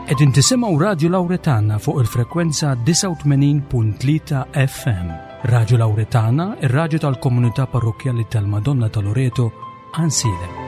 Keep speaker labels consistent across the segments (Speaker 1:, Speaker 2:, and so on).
Speaker 1: Qegħdin tisimgħu Radju Lawretana fuq il-frekwenza 89.3 FM. Radju Lawretana, ir-radju tal-komunità parrokkjali tal-Madonna ta' Loreto, Għansielem.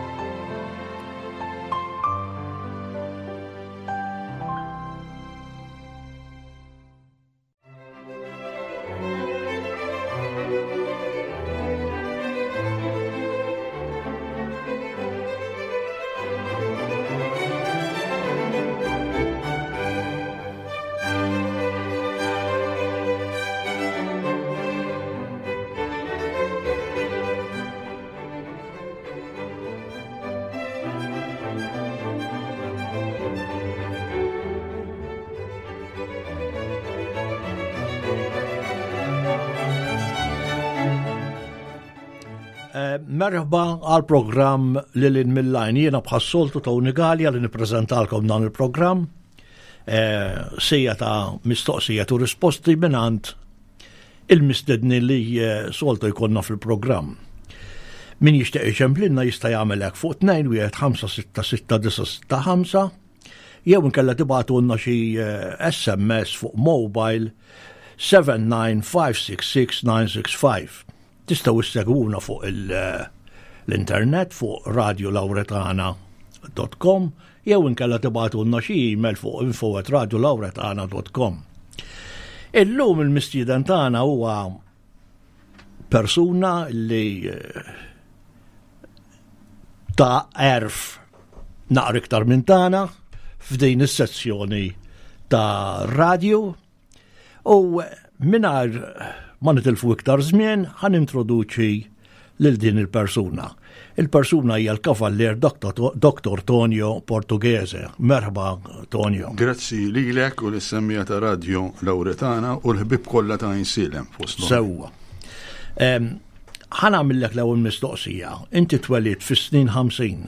Speaker 2: Eh, merħba għal programm Lilin Millajn. Jiena bħas-soltu Tony Gallia li nippreżentalkom dan il-programm. Eh, sija ta' mistoqsija u risposti mingħand il-mistedni li eh, soltu jkollna fil-programm. Min jixtieq iċemplinna jista' jagħmel hekk fuq 2 1 5 6 6 9 6 5 jew inkella tibgħatulna xi SMS eh, fuq mobile 79566965. Tistgħu issegwuna fuq eh, l-internet fuq radiolauretana.com jew inkella tibgħatulna xi email fuq info@radiolauretana.com. Illum il-mistieden tagħna huwa persuna li eh, ta' erf naqra iktar minn tagħna f'din is-sezzjoni ta' radju u mingħajr ma nitilfu iktar żmien ħan introduċi lil din il-persuna. Il-persuna hija l-kavallier Dr. Tonio Portughese. Merħba Tonio.
Speaker 3: Grazzi lilek u lis-semmija ta' Radio Lauretana u l-ħbib kollha ta' Insilem fost.
Speaker 2: Sewwa. Ħa nagħmillek l-ewwel mistoqsija. Inti twelidt fis-snin 50.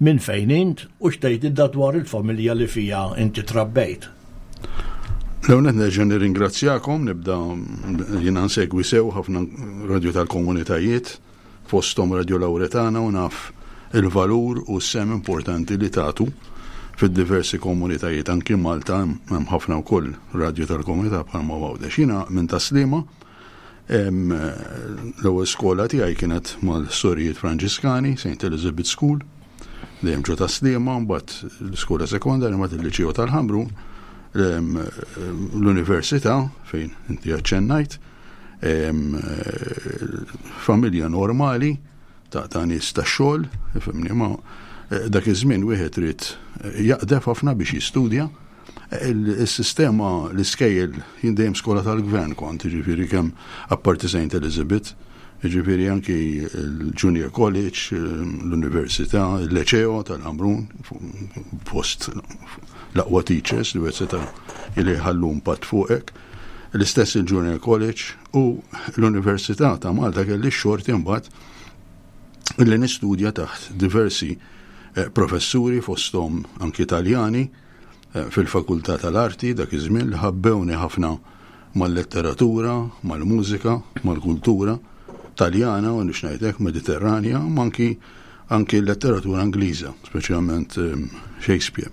Speaker 2: Minn fejn int u x'tgħidilna dwar il-familja li fiha inti trabbejt?
Speaker 3: L-ewwel nett nerġa' nirringrazzjakom, nibda jiena nsegwi sew ħafna radju tal-komunitajiet, fosthom Radio Lauretana u naf il-valur u s-sehem importanti li tagħtu fid-diversi komunitajiet, anki Malta hemm ħafna wkoll radju tal-komunità bħalma Għawdex. Jiena minn Tas-Sliema, L-ewwel skola tiegħi kienet mal-Sorijiet Franġiskani, St. Elizabeth School, dejjem ġo ta' Sliema, mbagħad l-iskola sekondarja mbagħad il-Liċeo tal-Ħamru, l-Università fejn inti aċċennajt, familja normali ta' ta' nies ta' xogħol, ifhimni ma eh, dak iż-żmien wieħed ried jaqdef ħafna biex jistudja. Is-sistema, l-iskejjel, jien dejjem skola tal-gvern kont, jiġifieri kemm apparti Saint Elizabeth, jiġifieri anki l-Junior College, l-Università, il-Leċeo tal-Ħamrun, fost l-aqwa teachers li wieħed seta' li jħallu impatt fuqek. L-istess il-Junior College u l-Università ta' Malta kelli x-xorti mbagħad li nistudja taħt diversi eh, professuri fosthom anki Taljani fil-Fakultà tal-Arti dak iż-żmien li ħabbewni ħafna mal-letteratura, mal-mużika, mal-kultura Taljana u nix ngħidlek Mediterranja, ma anki anki l-letteratura Ingliża, speċjalment ehm, Shakespeare,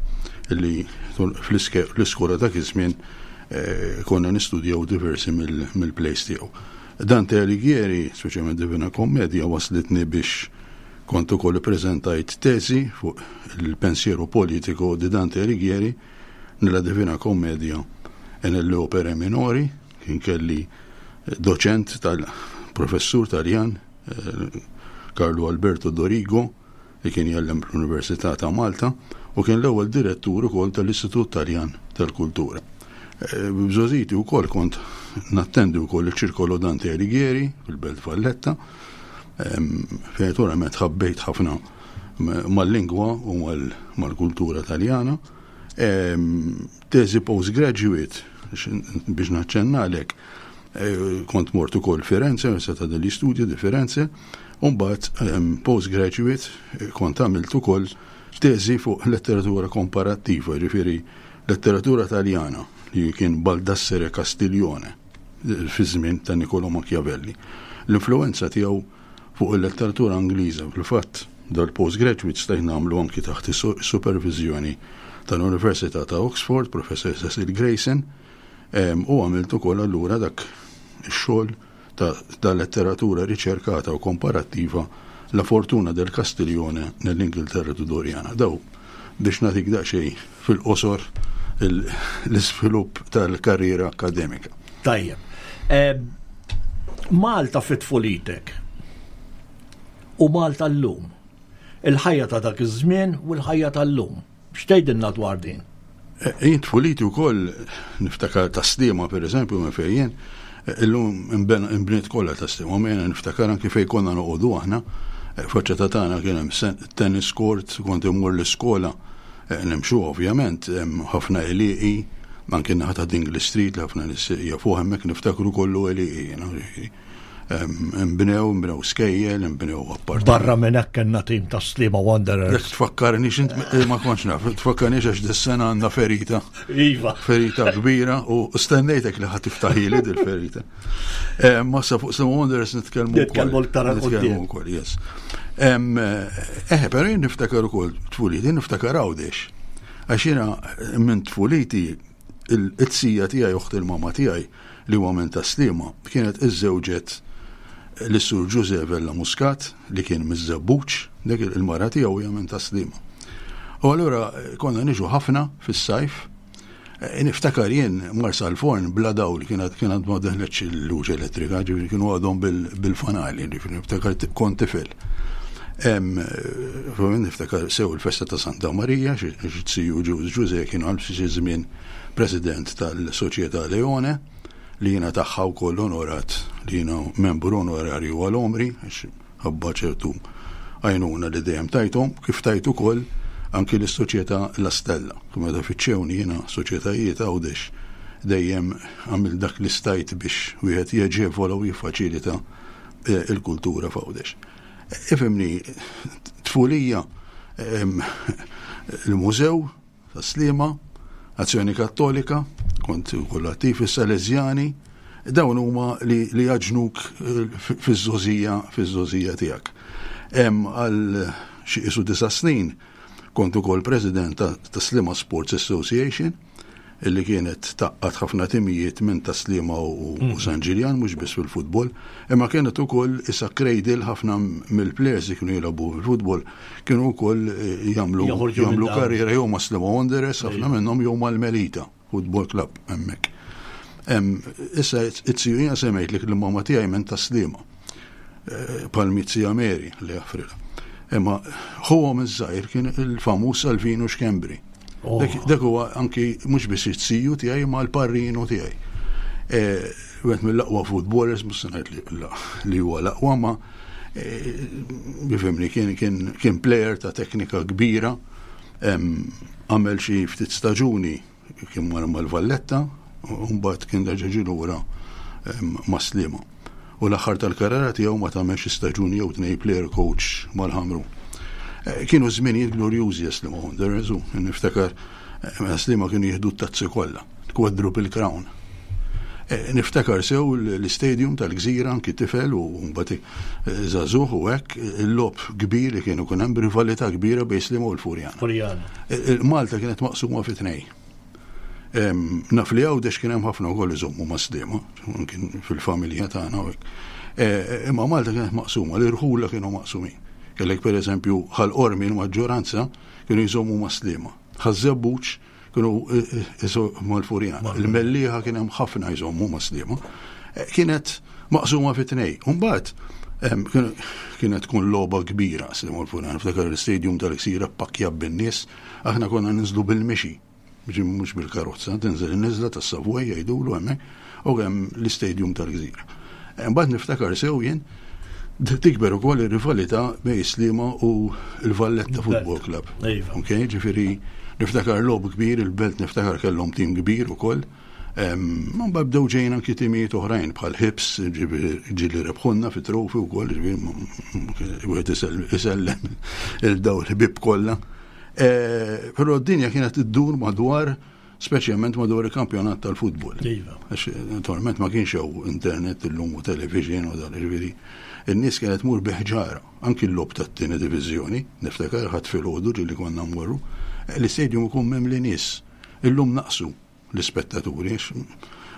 Speaker 3: li fl-iskola dak iż-żmien eh, konna nistudjaw diversi mill-plays tiegħu. Dante Alighieri, speċjalment Divina Commedia, waslitni biex Kont ukoll ippreżentajt teżi fuq il-pensiero politico di Dante Alighieri nella Divina Commedia e nelle opere minori, kien kelli doċent tal-professur Taljan eh, Carlo Alberto Dorigo li kien jgħallem fl-Università ta' Malta u kien l-ewwel direttur ukoll tal-Istitut Taljan tal-Kultura. Eh, Bżożiti wkoll kont nattendi wkoll il-Ċirkolo Dante Alighieri fil-Belt Valletta Fejn naturalment ħabbejt ħafna mal-lingwa u mal-kultura taljana. Teżi postgraduate, biex naċċennalek, eh, kont mort ukoll Firenze, Università degli Studi di Firenze, u mbagħad postgraduate eh, kont għamilt ukoll teżi fuq letteratura komparattiva, ġifieri letteratura taljana li kien Baldassare Castiglione. fiż-żmien ta' Niccolò Machiavelli. L-influwenza tiegħu fuq il-letteratura Ingliża, fil-fatt, dal-postgraduate stajt nagħmlu anki taħt is-superviżjoni tal-Università ta' Oxford, Professor Cecil Grayson, u għamilt ukoll allura dak ix-xogħol ta', ta letteratura riċerkata u komparattiva La Fortuna del Castiglione nell'Inghilterra Tudoriana. Daw biex nagħtik daqsxejn fil-qosor l-iżvilupp tal-karriera akademika.
Speaker 2: Tajjeb. Malta fit tfulitek u Malta llum. Il-ħajja ta' dak iż-żmien u l-ħajja tal-lum. X'tgħidilna dwar din?
Speaker 3: Eh, jien tfuliti wkoll niftakar ta' Sliema pereżempju minn fejn jien, eh, illum imbniet kollha ta' Sliema, ma jiena niftakar anki fejn konna noqogħdu aħna, eh, faċċata tagħna kien hemm tennis court, kont immur l-iskola nimxu ovvjament, hemm ħafna għelieqi, anki naħa ta' Dingley Street li ħafna nies jafuh hemmhekk niftakru kollu għelieqi. Imbnew, imbnew skejjel, imbnew appartamenti.
Speaker 2: Barra minn hekk kellna tim ta' Sliema Wanderers.
Speaker 3: Jekk tfakkarni x'int eh, ma kontx naf, tfakkarni għax dis-sena għandna ferita.
Speaker 2: Iva.
Speaker 3: Ferita kbira u stennejtek li ħadd tiftaħili dil-ferita. Eh, ma sa fuq Sliema Wanderers nitkellmu.
Speaker 2: Nitkellmu l-tara
Speaker 3: Nitkellmu wkoll, yes. Eh, eh, però jien niftakar ukoll tfuliti, niftakar Għawdex. Għax jiena minn tfuliti il-tsija tiegħi oħt il-mama tiegħi li huwa minn Tas-Sliema, kienet iżżewġet lis-Sur Ġużè Vella Muscat li kien miż-Żebbuġ, dik il-mara tiegħu hija minn Tas-Sliema. U allura konna niġu ħafna fis-sajf, eh, niftakar jien Marsa l-forn bla dawl kienet kienet ma deħletx il-luċ elettrika, ġifieri kienu għadhom bil-fanali, ġifieri niftakar kont tifel. Niftakar sew il-festa ta' Santa Marija, xi tiju Ġużè kienu għal xi żmien President tal-Soċjetà Leone, li jiena tagħha wkoll onorat li jiena membru onorarju għal għomri, għax ħabba ċertu għajnuna li dejjem tajthom, kif tajt ukoll anki lis-Soċjetà La Stella. Meta fittxewni jiena soċjetajiet Għawdex dejjem għamilt dak li stajt biex wieħed jaġevola u jiffaċilita eh, il-kultura f'Għawdex. Ifhimni, tfulija il-mużew Tas-Sliema, Azzjoni Kattolika, kont ukoll attiv is-Salesjani, dawn huma li, li jaġnuk eh, fiż-żożija fiż-żożija tiegħek. Hemm għal xi qisu disa' snin kont ukoll president ta' Sliema Sports Association illi kienet taqqat ħafna timijiet minn ta' Sliema u mm. San Ġiljan mhux biss fil-futbol, imma kienet ukoll isa cradle ħafna mill-players li kienu jilagħbu fil-futbol Kienu wkoll eh, jagħmlu jagħmlu karriera jew ma' Sliema Wanderers, ħafna minnhom jew mal-Melita Football Club hemmhekk. Issa it-siju jiena semmejt li l-mamma tiegħi minn ta' Sliema. Eh, Palmizzi Meri li jaffrilha. Imma ħuhom iż-żgħir kien il-famuż Salvino Xkembri. Oh. Dak huwa anki mhux biss it-siju tiegħi ma l-parrinu tiegħi. Eh, wieħed mill-aqwa footballers, mhux se ngħid li huwa l-aqwa ma Bifimni, kien, kien, kien player ta' teknika kbira, għamel xi ftit staġuni kien mar mal-Valletta, u mbagħad kien reġa' ġie lura ma' Sliema. U l-aħħar tal-karriera tiegħu ma tagħmel xi staġuni jew tnej player coach mal-Ħamrun. Eh, kienu żminijiet glorjużi Sliema Wanderers u niftakar eh, meta Sliema kienu jieħdu t-tazzi kollha. Quadruple Crown. Eh, niftakar sew l-istadium tal-gżira anki tifel u mbagħad eh, żagħżugħ u hekk il-lob kbir li kienu kun hemm rivalità kbira bejn Sliema u l-Furjana.
Speaker 2: Furjana.
Speaker 3: Eh, Malta kienet maqsuma fi tnej. Naf li Għawdex kien hemm ħafna wkoll iżommu ma' Sliema, kien fil-familja tagħna u hekk. Imma Malta kienet maqsuma, l-irħula kienu maqsumin. Kellek pereżempju Ħal Qormi l-maġġoranza kienu jżommu ma' Sliema. Ħaż-Żebbuġ Kienu mal-Furjana. Il-Mellieħa kien hemm ħafna jżommu ma' Sliema. Eh, kienet maqsuma fi tnej. Umbagħad kienet tkun logħba kbira Sliema l-Furjana. Ftakar l-istadium tal-Ksira pakkja bin-nies, aħna konna ninżlu bil-mixi mhux bil-karozza, tinżel in-niżla tas-Savoy jgħidulu hemmhekk, u hemm l-istadium tal-Gżira. Imbagħad niftakar sew jien tikber ukoll ir-rivalità bejn Sliema u l-Valletta Football Club.
Speaker 2: Iva.
Speaker 3: Ok, ġifieri niftakar logħob kbir, il-Belt niftakar kellhom tim kbir ukoll. Mbagħad bdew ġejjin anki timijiet oħrajn bħal Hibs, ġieli rebħunna fi trofi wkoll, ġifieri wieħed isellem il-daw il-ħbieb kollha. Eh, però d-dinja kienet iddur madwar Speċjalment madwar il-kampjonat tal-futbol.
Speaker 2: Iva.
Speaker 3: Għax naturalment ma kienx hawn internet illum u television u dan ġifieri. In-nies kienet tmur bi ħġara, anki l-logħob tat-tieni diviżjoni, niftakar Ħadd filgħodu ġieli konna mmorru, l-istadium ikun mimli nies. Illum naqsu l-ispettaturi għax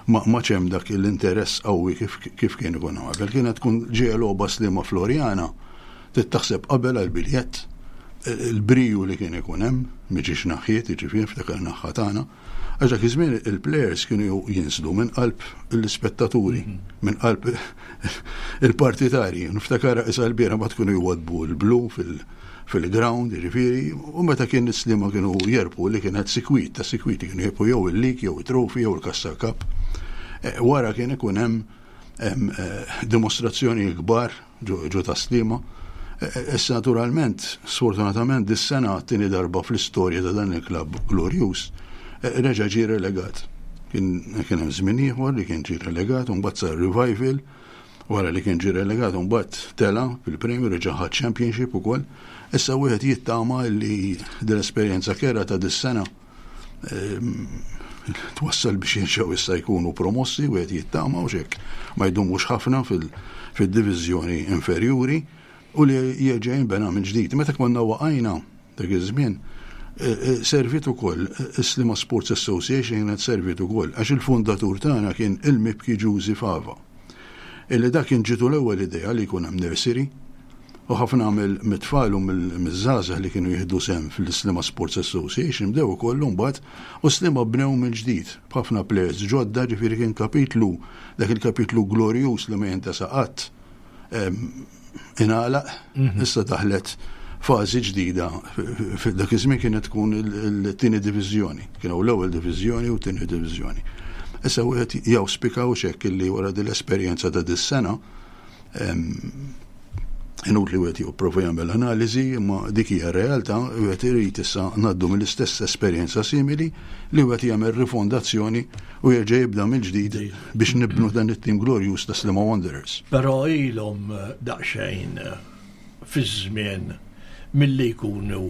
Speaker 3: ma m'għadx hemm dak l-interess qawwi kif kif kien ikun qabel. Kienet tkun ġejja logħba Sliema Floriana, trid taħseb qabel għall-biljett, il-briju li kien ikun hemm, miġiex naħħiet, jiġifieri niftakar naħħa tagħna. Għax dak iż-żmien il-plejers kienu jinżlu minn qalb l-ispettaturi, minn qalb il-partitarji. Niftakar isa l-biera ma tkunu jwadbu l-blu fil-ground, jiġifieri, u meta kien is-Sliema kienu jerbħu li kienet sikwit, ta' sikwit kienu jerbħu jew il-lig, jew it-trophy, jew il-Kassa Cup. Eh, wara kien ikun hemm eh, dimostrazzjoni kbar ġo Tas-Sliema. Issa naturalment, sfortunatament dis-sena għat-tieni darba fl-istorja ta' dan il-klabb glorjuż, reġa' ġie relegat. Kien kien hemm żmien ieħor li kien ġie relegat u mbagħad sar revival wara li kien ġie relegat u mbagħad tela' fil-Premier reġa' ħa Championship ukoll. Issa wieħed jittama li din l-esperjenza kerha ta' dis-sena twassal biex jerġgħu issa jkunu promossi wieħed jittama u xek ma jdumux ħafna fil-diviżjoni inferjuri u li jerġa' jinbena minn ġdid. Meta konna waqajna dak iż-żmien, e, e, servit ukoll is-Sliema Sports Association kienet servit ukoll għax il-fundatur tagħna kien il-mibki Ġużi Fava. Illi dak kien ġitu l-ewwel idea li jkun hemm nursery U ħafna mit-tfal u miż-żgħażagħ li kienu jieħdu sehem fl-Sliema Sports Association bdew ukoll imbagħad u Sliema bnew mill-ġdid b'ħafna plejers ġodda ġifieri kien kapitlu dak il-kapitlu glorjuż li ma jintesa qatt ingħalaq mhm. issa daħlet fażi ġdida dak iż-żmien kienet tkun il-tieni diviżjoni, kienu l-ewwel diviżjoni u t-tieni diviżjoni. Issa wieħed jawspika u xekk illi wara din l-esperjenza ta' dis-sena Inutli wieħed jipprova jagħmel analiżi, imma dik hija r-realtà, wieħed irid issa ngħaddu mill-istess esperjenza simili li wieħed jagħmel rifondazzjoni u jerġa' jibda mill-ġdid biex nibnu dan it-tim glorjuż ta' Sliema Wanderers.
Speaker 2: Però ilhom daqsxejn fiż-żmien milli jkunu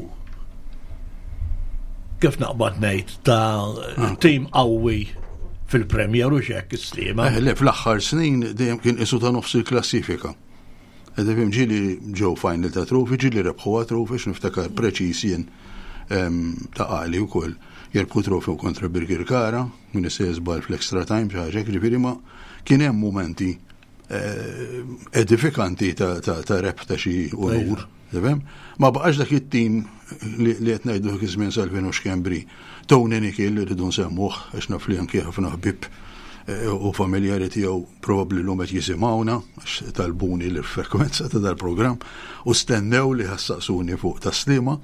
Speaker 2: kif naqbad ngħid ta' ah. tim qawwi fil-Premier u xek is-Sliema.
Speaker 3: Eh, le, fl-aħħar snin dejjem kien isu ta' nofs il-klassifika. Edifim ġili ġew final ta' trofi, ġili rebħu trofi, x'niftakar preċis jien ta' għali wkoll jerbħu trofi kontra Birkirkara, minn se żball fl-extra time xi ħaġa, ġifieri ma kien hemm mumenti eh, edifikanti ta' rep ta' xi unur. Tifhem? Ma baqax dak it-tim li qed ngħidu dak iż-żmien Salvino Xkembri. Tony Nikil li rridu nsemmuh għax naf li anki ħafna ħbieb eh, u familjari tiegħu probabbli llum qed jisimgħuna għax talbuni l-frekwenza ta' dal-programm u stennew li ħassaqsuni fuq taslima.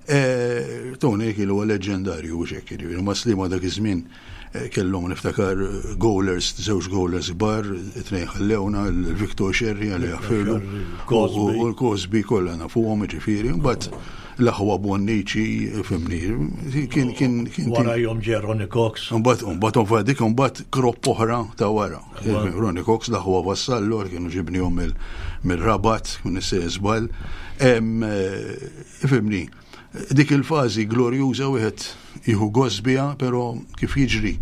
Speaker 3: Eh, Tony Hill huwa leġendarju u xekk, jiġifieri ma' Sliema dak iż-żmien eh, kellhom niftakar eh, goalers, żewġ goalers kbar, it-tnejn ħallewna, il-Victor Sherry għalli jaffirlu, u l-Cosby kollha nafuhom jiġifieri, mbagħad l-aħwa Bonnici, fimni,
Speaker 2: kien kien kien. Wara jom ġie Ronnie Cox.
Speaker 3: Mbagħad mbagħad dik mbagħad kropp oħra ta' wara. Ronnie Cox, l-aħwa Vassallo, kienu ġibnihom mill-Rabat, minn żball. Ifhimni, dik il-fażi glorjuża wieħed jieħu gost biha, però kif jiġri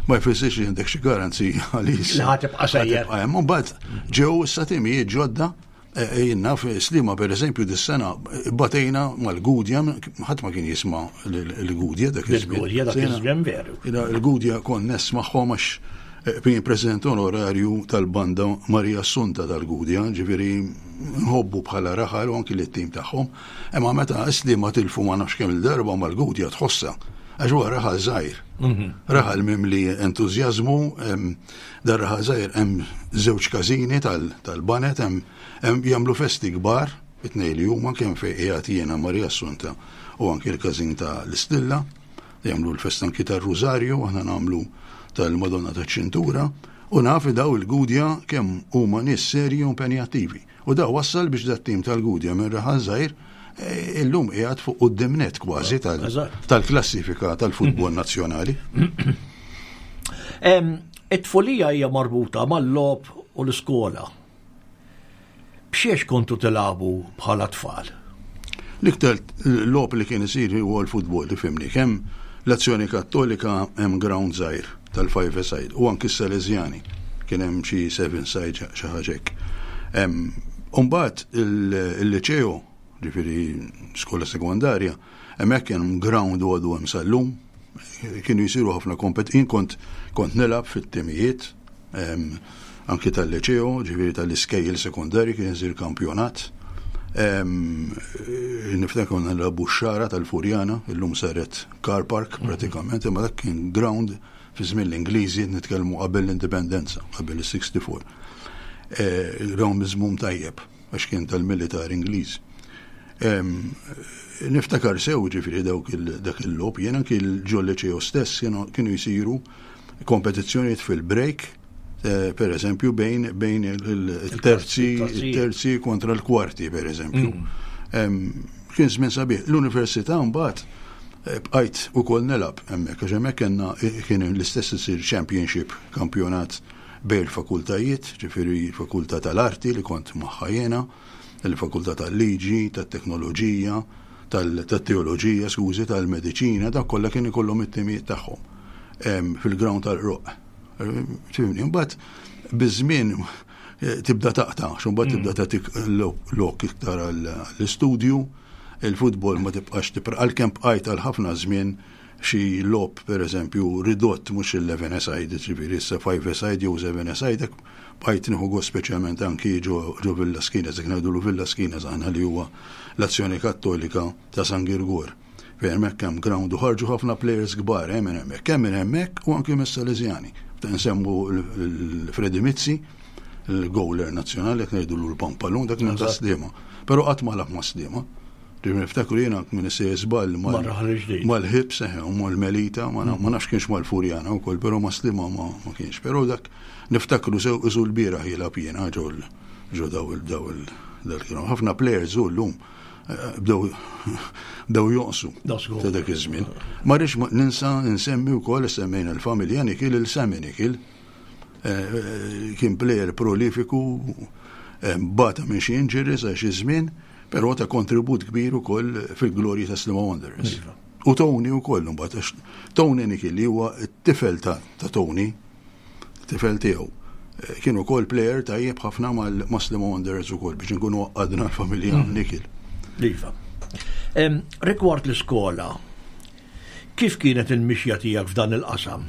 Speaker 3: ma jfissirx li għandek xi garanzija għaliex.
Speaker 2: Li ħa tibqa' sejjer.
Speaker 3: Mbagħad ġew issa timijiet ġodda eh, eh, jien naf Sliema pereżempju dis-sena batejna mal-Gudja, ħadd ma kien jisma' l-Gudja
Speaker 2: dak iż-żmien. Il-Gudja dak iż-żmien veru.
Speaker 3: Il-Gudja kont nismagħhom għax eh, president onorarju tal-banda Maria Assunta tal-Gudja, ġifieri nħobbu bħala raħal u anki lit-tim tagħhom, imma meta Sliema tilfu ma nafx kemm il-darba mal-Gudja tħossha għax huwa raħal żgħir. Mhm. Raħal mimli entużjażmu, dar raħal żgħir hemm żewġ każini tal-banet, hemm jagħmlu festi kbar, it-tnejn li huma kemm fejn qiegħed jiena Maria Assunta u anki l-każin ta' l-Istilla, jagħmlu l-festa anki tar-Rużarju, aħna nagħmlu tal-Madonna taċ-Ċintura. U naf li daw il-Gudja kemm huma nies serji u impenjattivi. U da wassal biex dat-tim tal-Gudja minn raħal żgħir eh, illum qiegħed fuq quddiem net kważi tal-klassifika tal-futbol nazzjonali.
Speaker 2: It-tfulija hija marbuta mal-logħob u l-iskola. B'xiex kontu tilagħbu bħala tfal?
Speaker 3: L-iktar logħob li kien isir huwa l-futbol, ifhimni, kemm l-Azzjoni Kattolika hemm ground żgħir tal-five a side u anki s-Salesjani kien hemm xi seven side xi ħaġa hekk. Umbagħad il-liċeo, ġifieri skola sekondarja, hemmhekk kien ground u għadu hemm sal-lum, kienu jsiru ħafna kompet, jien kont kont nilgħab fit-timijiet, anki tal-liċeo, ġifieri tal-iskejjel sekondarji kien isir kampjonat. Niftakar konna nilagħbu x-xara tal-Furjana, illum saret car park pratikament, imma dak kien ground fi żmien l-Ingliżi, nitkellmu qabel l-indipendenza, qabel is-64. Ground miżmum tajjeb, għax kien tal-militar Ingliż. Niftakar sew ġifieri dawk dak il-logħob, jien anki ġol-liċeo stess kienu jsiru kompetizzjonijiet fil-break, eh, per eżempju, bejn bejn il-terzi il-terzi kontra l-kwarti, per eżempju. Mm. Kien żmien sabiħ. L-università mbagħad eh, bqajt ukoll nilgħab hemmhekk, għax hemmhekk kellna eh, kien l-istess isir championship, kampjonat bejn il-fakultajiet, ġifieri fakultà tal-arti li kont magħha jiena, il-fakultà tal-liġi, tat-teknoloġija, tat-teoloġija, skużi, tal-mediċina, dak kollha kien ikollhom it-timijiet tagħhom fil-ground tal-qroq. Tifhimni, imbagħad biż-żmien eh, tibda taqta', x'imbagħad mm. tibda tagħtik lok iktar għall-istudju, il-futbol ma tibqax tibqa' għalkemm bqajt għal ħafna żmien xi logħob pereżempju ridott mhux il-11 side, ġifieri issa 5 side jew 7 side, bqajt nieħu gost speċjalment anki ġo Villa Skinas, jekk ngħidulu Villa Skinas aħna li huwa l-Azzjoni Kattolika ta' San Girgor. Fejn hemmhekk hemm ground u ħarġu ħafna players kbar eh, minn hemmhekk, kemm minn hemmhekk u anki mis-Salesjani. Nsemmu l-Freddy Mizzi, il-goaler nazzjonali, jekk ngħidulu l-Pampalun, dak minn ta' Sliema. Però qatt ma lagħab ma' Sliema. Ġifieri niftakru jiena minn issejjer żball mal-ħibs eħe u mal-Melita, ma nafx kienx mal-Furjana wkoll, però ma' Sliema ma kienx. Però dak niftakru sew isu l-bieraħ jilgħab jiena ġol ġo daw il-daw il-dal Ħafna players u llum eh, bdew bdew jonqsu ta' dak iż-żmien. Ma rridx ninsa nsemmi wkoll semmejna l-familja Nikil il-Semi Nikil. Eh, kien plejer prolifiku, eh, bata minn xi injuries għal xi żmien, però ta' kontribut kbir ukoll fil-glorji ta' Sliema Wanderers. Iva. U Tony ukoll imbagħad għax Tony Nikil li huwa t-tifel ta' Tony, tifel tiegħu. Eh, kien ukoll plejer tajjeb ħafna mal Sliema Wanderers ukoll biex nkunu għadna l-familja mm. Nikil.
Speaker 2: Iva. Rigward l-iskola, Kif kienet il-mixja tiegħek f'dan il-qasam?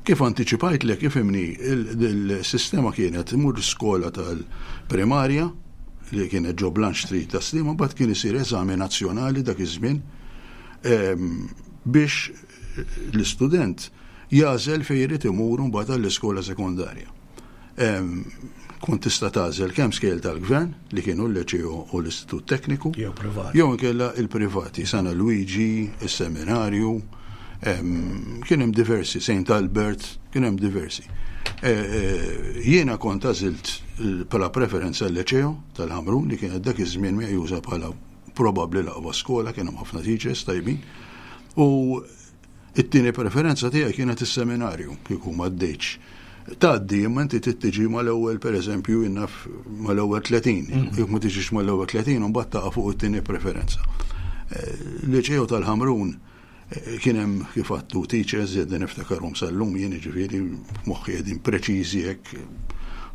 Speaker 3: Kif antiċipajtlek, ifhimni, il-sistema kienet imur skola tal-primarja li kienet ġo Blanche Street ta' Sliema, mbagħad kien isir eżami nazzjonali dak iż-żmien ehm, biex l-istudent jagħżel fejn irid imur mbagħad għall-iskola sekondarja. Kont tista' tagħżel kemm skejjel tal-gvern li kienu l-Leċeo u l-Istitut Tekniku,
Speaker 2: jew privati.
Speaker 3: Jew inkella il-privati, San Luigi, is-Seminarju, kien hemm diversi, St. Albert, kien hemm diversi. E, e, jiena kont għażilt bħala preferenza l-Leċeo tal-Ħamrun li kienet dak iż-żmien meqjusa bħala probabbli l-aqwa skola, kien hemm ħafna teachers tajbin. U It-tieni preferenza tiegħi kienet is-seminarju, kieku m'għaddejtx. Tgħaddi, imma inti trid tiġi mal-ewwel pereżempju jien naf mal-ewwel 30. Mm. Jekk ma tiġix mal-ewwel 30 imbagħad taqa' fuq it-tieni preferenza. Eh, Liċeo tal-Ħamrun eh, kien hemm kif għattu teachers qegħdin niftakarhom sal-lum jien jiġifieri f'moħħi qegħdin preċiżi hekk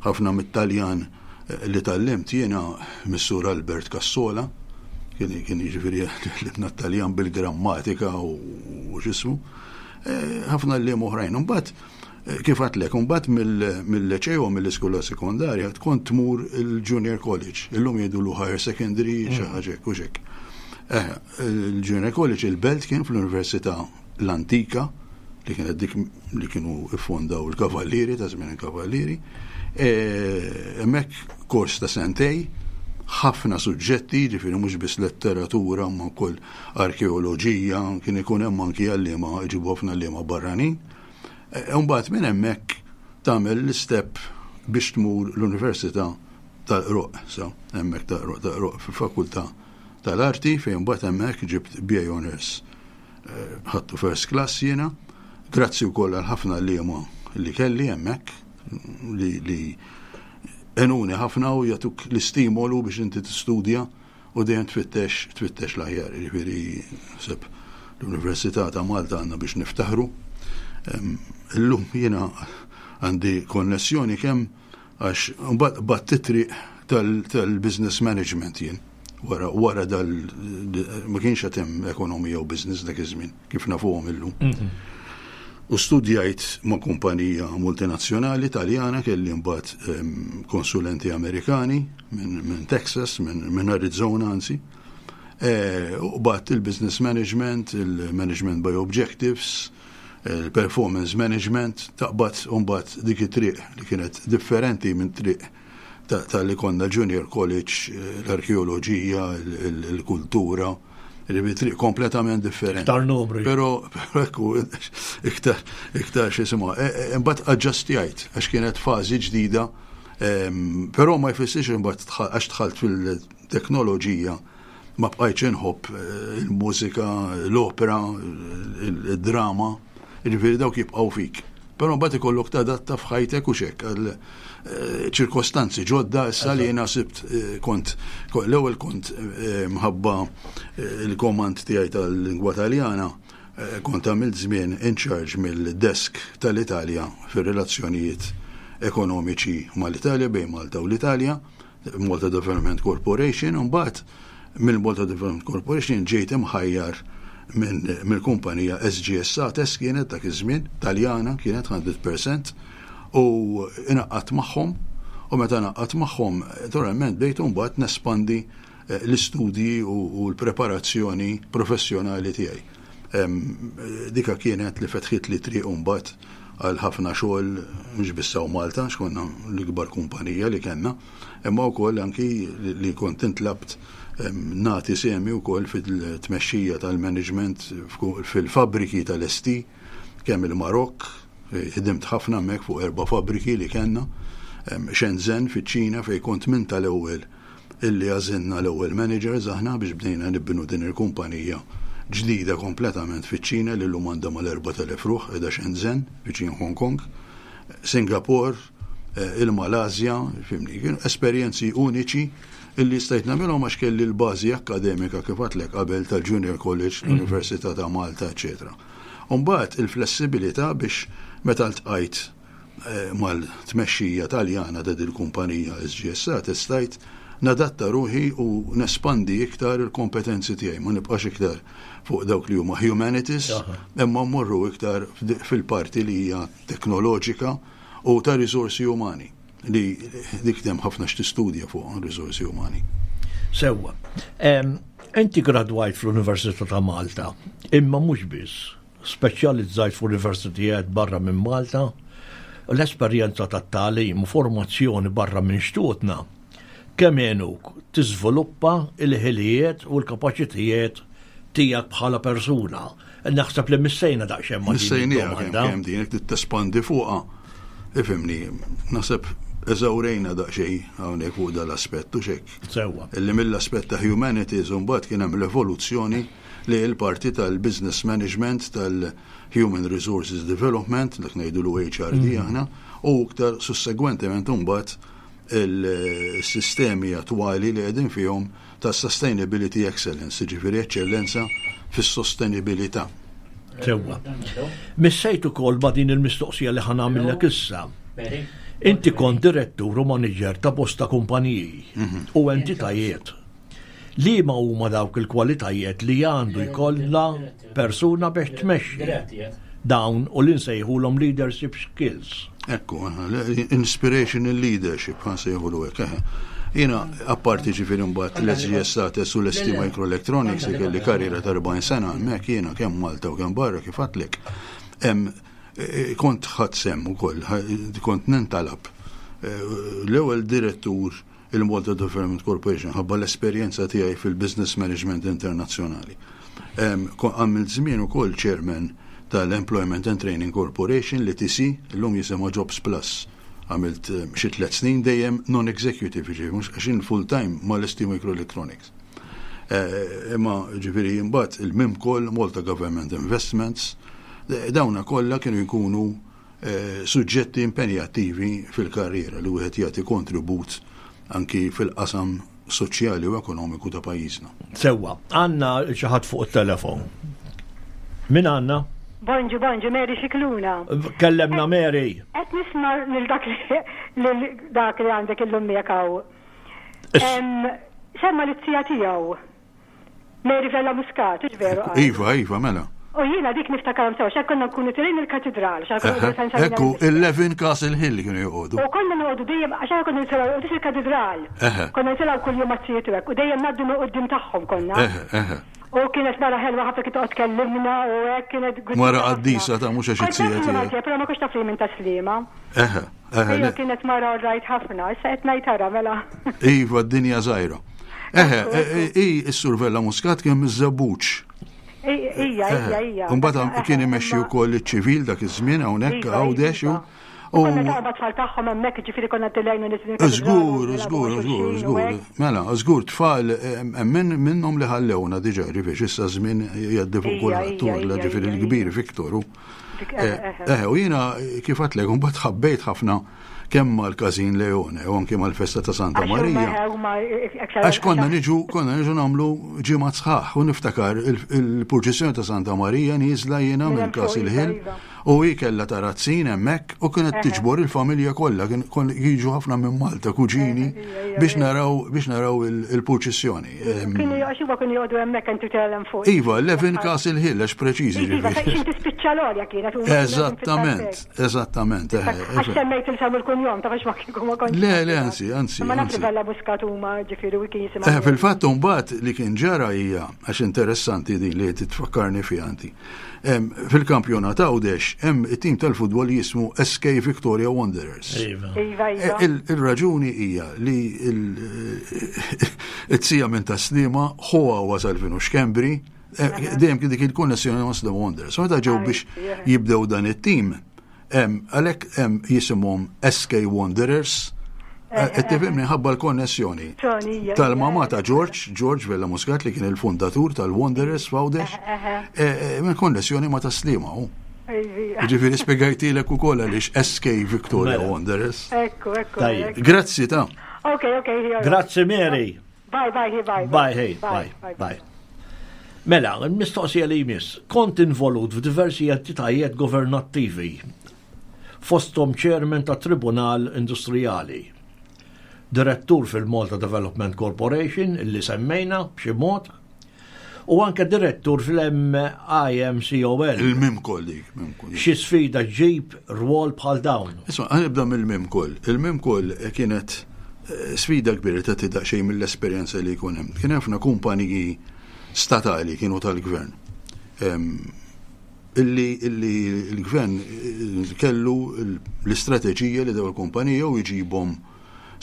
Speaker 3: ħafna mit-Taljan li tgħallimt jiena mis-Sur Albert Cassola, kien kien jiġifieri tgħallimna t-Taljan bil-grammatika u x'ismu, eh, ħafna għalliem oħrajn. Imbagħad eh, kif għadtlek, imbagħad mill-leċeo mill-iskola sekondarja tkun tmur il-junior college, illum jgħidulu higher secondary xi mm. ħaġa hekk u x'hekk. Eh, il-junior college il-belt kien fl-Università l-antika li kienet dik li kienu iffondaw il-kavallieri ta' żmien il-kavallieri. E, hemmhekk kors ta' sentej, ħafna suġġetti, ġifieri mhux biss letteratura ma wkoll arkeoloġija, kien ikun hemm anki għalliema ġibu ħafna għalliema barranin. E, mbagħad minn hemmhekk tagħmel l-istep biex tmur l-Università tal-Qroq, sa hemmhekk tal-Qroq tal-Qroq fil-Fakultà tal-Arti fejn mbagħad hemmhekk ġibt BA Honors ħadtu first class jiena, grazzi wkoll għal ħafna għalliema li kelli hemmhekk li, li enuni ħafna u jagħtuk l-istimolu biex inti tistudja u dejjem tfittex tfittex l-aħjar. Jiġifieri seb l-Università ta' Malta għandna biex niftaħru. Illum jiena għandi konnessjoni kemm għax mbagħad bat titri tal-business management jien. Wara, wara dal ma kienx qed hemm ekonomija u business dak iż-żmien kif nafuhom illum. Mhm. U studjajt ma' kumpanija multinazzjonali Taljana kelli mbagħad ehm, konsulenti Amerikani minn min Texas, minn min Arizona anzi. E, u bat il-business management, il-management by objectives, il-performance management, taqbad u mbagħad dik it-triq li kienet differenti minn triq ta' li konna junior college, l-arkeoloġija, il-kultura, li triq kompletament differenti.
Speaker 2: Iktar numri.
Speaker 3: Pero, ekku, iktar, iktar xisima. E, e, imbagħad aġġastjajt, għax kienet fażi ġdida, però ma jfissirx imbagħad għax dħalt fil-teknoloġija ma bqajtx inħobb eh, il-mużika, l-opera, il-drama, jiġifieri dawk jibqgħu fik. Però mbagħad ikollok tadatta f'ħajtek u xek għal eh, ċirkostanzi ġodda issa li jiena sibt eh, kont l-ewwel kont mħabba il-komand tiegħi tal-lingwa Taljana kont għamilt żmien in charge mill-desk tal-Italja fir-relazzjonijiet ekonomiċi mal-Italja bejn Malta u l-Italja. Malta Development Corporation, u mbagħad mill-Malta Development Corporation ġejt imħajjar mill-kumpanija SGS Sates kienet dak iż-żmien, Taljana kienet 100%, u inaqqat magħhom, u meta naqqat magħhom, naturalment bdejt mbagħad nespandi eh, l-istudji u l-preparazzjoni professjonali tiegħi. Dika kienet li fetħit li triq mbagħad għal ħafna xogħol mhux biss hawn Malta għax konna l-ikbar kumpanija li kellna, imma wkoll anki li kont intlabt nagħti sehmi wkoll fil-tmexxija tal-management fil-fabbriki tal-ST kemm il-Marokk, ħdimt ħafna hemmhekk fuq erba' fabbriki li kellna, Shenzhen fiċ-Ċina fejn kont minn tal-ewwel illi għażilna l-ewwel managers aħna biex bdejna nibnu din il-kumpanija ġdida kompletament fiċ-Ċina li llum għandha mal-4,000 ruħ qiegħda Shenzhen, viċin Hong Kong, Singapore, eh, il-Malasja, fimni, kienu esperjenzi uniċi illi stajt nagħmilhom għax kelli l-bażi akkademika kif għatlek qabel tal-Junior College, mhm. l-Università ta' Malta, eċetera. Umbagħad il-flessibilità biex meta ltqajt eh, mal-tmexxija Taljana ta' dil-kumpanija SGSA testajt nadatta ruħi u nespandi iktar il-kompetenzi tiegħi, ma nibqax iktar fuq dawk li huma humanities, imma mmorru iktar fil-parti li hija teknoloġika u ta' risorsi umani li dik hemm ħafna x'tistudja fuq risorsi umani.
Speaker 2: Sewwa. Inti gradwajt fl-Università ta' Malta, imma mhux biss. Speċjalizzajt f'universitijiet barra minn Malta, l-esperjenza tat-tagħlim u formazzjoni barra minn xtutna kemm għenuk tiżviluppa l-ħiliet u l-kapaċitijiet tiegħek bħala persuna. Naħseb li missejna daqsxejn
Speaker 3: ma' Missejniha kemm kemm din jekk tespandi fuqha. Ifhimni, naħseb eżawrejna daqsxejn hawnhekk fuq dal-aspett u xek.
Speaker 2: Sewwa.
Speaker 3: Illi mill-aspett ta' humanities u mbagħad kien hemm l-evoluzzjoni li l-parti tal-business management, tal-human resources development, dak ngħidulu HRD mm. aħna, u iktar sussegwentement imbagħad il-sistemi attwali li qegħdin fihom ta' sustainability excellence, ġifieri eċċellenza fis-sostenibilità.
Speaker 2: Sewwa. Missejt ukoll ma' din il-mistoqsija li ħa nagħmillek issa. Inti kont direttur u manager ta' bosta kumpaniji mhm. u entitajiet Liema huma dawk il-kwalitajiet li għandu jkollha persuna biex tmexxi dawn u li nsejħulhom leadership skills?
Speaker 3: Ekku, inspirational leadership, ħa nsejħulu hekk. Jiena, apparti ġifieri mbagħad l-SGS Sates u l-ST Microelectronics li kelli karriera ta' 40 sena hemmhekk jiena kemm Malta u kemm barra kif għadtlek. E, kont ħadd sehem ukoll, kont nintalab. E, l-ewwel direttur il-Malta Development Corporation ħabba l-esperjenza tiegħi fil-business management internazzjonali. Għamilt żmien ukoll chairman tal-Employment and Training Corporation li TC, illum jisimha Jobs Plus. Għamilt xi tliet snin dejjem non-executive, ġifieri mhux għax full-time mal-ST Microelectronics. Eh, imma ġifieri imbagħad il-MIMCOL, Malta Government Investments, dawna kollha kienu jkunu suġġetti impenjattivi fil-karriera li wieħed jagħti kontribut anki fil-qasam soċjali u ekonomiku ta' pajjiżna.
Speaker 2: Sewwa, għandna xi ħadd fuq it-telefon. Min għandna?
Speaker 4: Bonġu, bonġu, Mary Xikluna.
Speaker 2: Kellemna Mary.
Speaker 4: Qed nisma' lil dak li lil dak li għandek illum miegħek hawn. Semma lit-tija tiegħu. Mary Vella Muscat, hux veru?
Speaker 3: Iva, iva, mela.
Speaker 4: U jiena dik niftakarhom sew, x'hekk konna nkunu tilgħin il-katidral.
Speaker 3: Ekku, il-Levin Castle Hill kienu joqogħdu.
Speaker 4: U konna noqogħdu dejjem, għax aħna konna nitilgħu qudiem il-katidral. Konna nitilgħu kuljum mat-tijiet u hekk, u dejjem ngħaddu minn quddiem tagħhom konna. U kienet mara ħelwa ħafna kien toqgħod tkellimna u hekk kienet.
Speaker 3: Mara qaddisa ta' mhux għax it-tija
Speaker 4: tiegħek. Però ma kontx taf li minn taslima.
Speaker 3: Eħe.
Speaker 4: Eħe, kienet mara rajt ħafna, issa qed ngħid ara mela.
Speaker 3: Iva, d-dinja żgħira. Eħe, i s-Sur Vella Muscat kien miż-Żebbuġ.
Speaker 4: Ija, ija, ija.
Speaker 3: Mbagħad kien imexxi wkoll iċ-ċivil dak iż-żmien hawnhekk
Speaker 4: iva,
Speaker 3: Għawdex.
Speaker 4: Iva. U konna ta' tfal tagħhom hemmhekk, ġifieri konna tilgħin u niżlin.
Speaker 3: Żgur, żgur, żgur, żgur. Mela, żgur tfal hemm minnhom li ħallewna diġà ġifieri issa żmien jgħaddi fuq kulħadd, ġifieri l-kbir Viktoru. Eh, u jiena kif għatlek, mbagħad ħabbejt ħafna kemm mal-Każin Leone u anke mal-festa ta' Santa Marija. Għax konna niġu konna niġu nagħmlu ġimgħat sħaħ u niftakar il-purċissjoni ta' Santa Marija nieżla jiena minn Castle Hill iva. u hi kellha tarazzin hemmhekk u kienet tiġbor il-familja kollha kien jiġu ħafna minn Malta kuġini biex naraw biex naraw il-purċissjoni.
Speaker 4: Kienu għax huma kienu joqogħdu hemmhekk inti tellem fuq.
Speaker 3: Iva, Levin Castle Hill għax preċiżi.
Speaker 4: Iva, fejn tispiċċa l-għolja kienet.
Speaker 3: Eżattament. Eżattament.
Speaker 4: Eh, eh, Għax semmejt il-sem il-kunjom, ta' ma kieku ma
Speaker 3: kontx. Le, le, anzi, anzi.
Speaker 4: Ma naf li bella buskat huma ġifieri u kien jisimgħu.
Speaker 3: Eh, fil-fatt mbagħad li kien ġara hija għax interessanti din li titfakkarni fiha anti. Fil-kampjonat Għawdex hemm it-tim tal-futbol jismu SK Victoria Wanderers.
Speaker 2: Iva.
Speaker 4: Iva, iva.
Speaker 3: Il-raġuni hija li it-sija minn taslima ħuha wasal finu xkembri Eh, dejjem kien dik il-konnessjoni ma' The Wonders. Meta ġew biex jibdew dan it-tim, għalhekk jisimhom SK Wanderers, eh, qed tifhimni ħabba l-konnessjoni tal-mama ta' George, George Vella Muscat li kien il-fundatur tal-Wanderers f'Għawdex, eh, minn konnessjoni ma' taslima hu. Ġifieri spjegajtilek ukoll għaliex SK Victoria
Speaker 2: Mela.
Speaker 3: Wanderers.
Speaker 4: Ekku, ekku.
Speaker 3: Grazzi ta'
Speaker 4: Ok, ok.
Speaker 2: Grazzi Mary.
Speaker 4: Bye, bye, hi, bye.
Speaker 2: Bye, hey, bye, bye. Mela, il-mistoqsija li jmiss, kont involut f'diversi entitajiet governattivi, fosthom chairman ta' Tribunal Industrijali, direttur fil-Malta Development Corporation, illi semmejna b'xi mod, u anke direttur fil-MIMCOL.
Speaker 3: Il-MIMCOL dik. MIMCOL.
Speaker 2: Xi sfida ġġib rwol bħal dawn?
Speaker 3: Isma' ħa nibda mill-MIMCOL. Il-MIMCOL kienet eh, sfida kbira ta' tidaq xejn mill-esperjenza li jkun hemm. Kien ħafna kumpaniji statali kienu tal-gvern. Illi, illi l-gvern eh, kellu l-istrateġija li daw il-kumpanija u jġibhom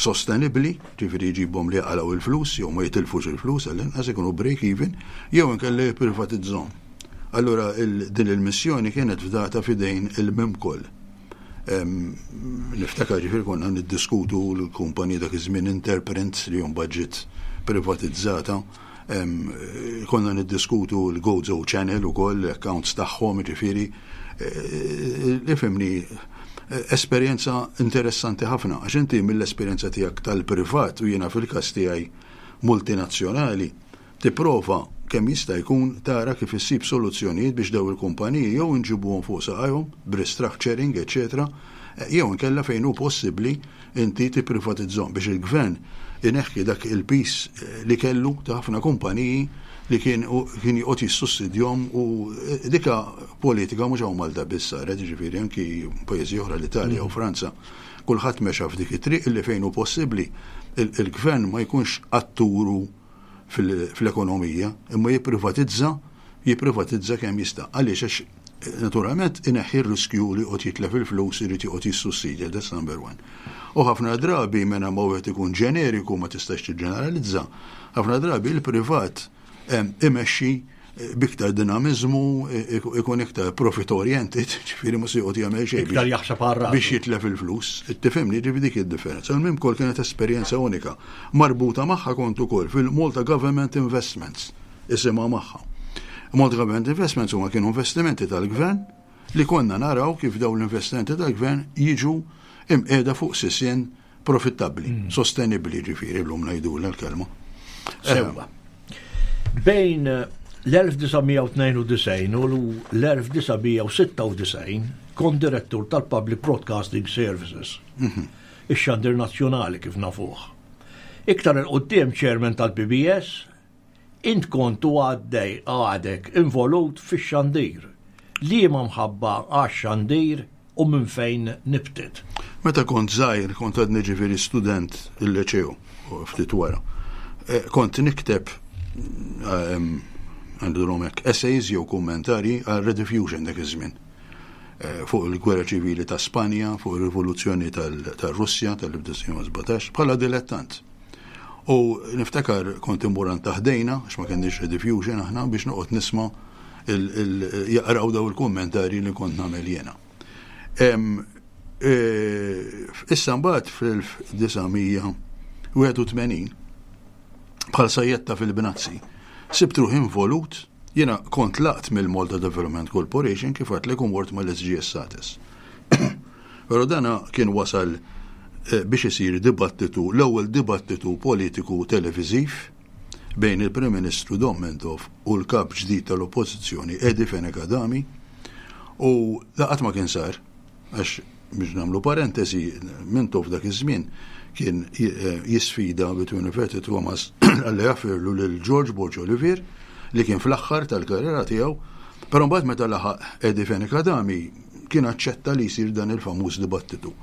Speaker 3: sostenibbli, ġifieri jġibhom li jaqalgħu il-flus jew ma jitilfux il-flus għall-inqas ikunu break even, jew inkella jipprivatizzhom. Allura din il-missjoni kienet fdata f'idejn il-MIMCOL. Niftakar ġifieri konna niddiskutu l-kumpanija dak iż-żmien Interprints li mbagħad ġiet privatizzata. Konna niddiskutu l-Gozo Channel ukoll, l-accounts tagħhom, ġifieri ifhimni esperjenza interessanti ħafna għax inti mill-esperjenza tiegħek tal-privat u jiena fil-każ tiegħi multinazzjonali tipprova kemm jista' jkun tara kif issib soluzzjonijiet biex daw il-kumpaniji jew inġibuhom fuq saqajhom b'restructuring eċċetera jew inkella fejn hu possibbli inti tipprivatizzhom biex il-gvern ineħħi dak il-piż li kellu ta' ħafna kumpaniji li kien kien joqgħod jissussidjhom u dika politika mhux hawn Malta biss saret, jiġifieri anki pajjiżi oħra l-Italja u Franza, kulħadd mexa f'dik it-triq illi fejn hu possibbli il-gvern ma jkunx atturu fl-ekonomija, imma jipprivatizza, jipprivatizza kemm jista'. Għaliex? Għax naturalment ineħħi r-riskju li joqgħod jitlef il-flus irid joqgħod jissussidja, that's number one. U ħafna drabi mena ma wieħed ikun ġeneriku ma tistax tiġġeneralizza, ħafna drabi il-privat imexxi biktar dinamiżmu, ikun iktar profit oriented, ġifieri mhux se joqgħod jagħmel xejn.
Speaker 2: Iktar jaħseb għal
Speaker 3: Biex jitlef il-flus. Tifhimni, ġifieri dik id-differenza. Il-MIMCOL kienet esperjenza unika. Marbuta magħha kont ukoll fil-Malta Government Investments, isimha magħha. Malta Government Investments huma kienu investimenti tal-gvern li konna naraw kif dawn l-investimenti tal-gvern jiġu imqiegħda fuq sisien profittabbli, mm. sostenibbli ġifieri llum ngħidulha l-kelma.
Speaker 2: Sewwa. Bejn l-1992 u l-1996 kont direttur tal-Public Broadcasting Services, mhm. ix-xandir nazzjonali kif nafuh. Iktar 'il quddiem Chairman tal-PBS, int kont u għaddej għadek involut fix-xandir. Liema mħabba għax-xandir u minn fejn nibtet?
Speaker 3: Meta kont żgħir, kont għadni ġifieri student il-Liċeo, ftit wara, kont nikteb għandhom hekk essays jew kummentarji għal Rediffusion dak iż-żmien. Fuq il-Gwerra Ċivili ta' Spanja, fuq ir-Rivoluzzjoni tar-Russja tal-1917, bħala dilettant. U niftakar kont immur għand ta' ħdejna, għax ma kenniex rediffusion aħna, biex noqgħod nisma' jaqraw daw il-kummentarji li kont nagħmel jiena. Issa mbagħad fl-1981 bħal sajjetta fil-bnazzi, sibt ruħi involut. Jiena kont tlaqt mill-Malta Development Corporation kif għedtlek u mort mal-SGS Sates. Però dana kien wasal eh, biex isir dibattitu, l-ewwel dibattitu politiku televiżiv bejn il-Prim Ministru Dom Mintoff u l-kap ġdid tal-Oppożizzjoni Eddie Fenech Adami u laqat ma kien sar. Għax, biex nagħmlu parentesi, Mintoff dak iż-żmien kien jisfida between inverted commas għalli jaffirlu lil George Borg Olivier li kien fl-aħħar tal-karriera tiegħu, però mbagħad meta laħaq Eddie Fenech Adami kien aċċetta li jsir dan il-famuż dibattitu.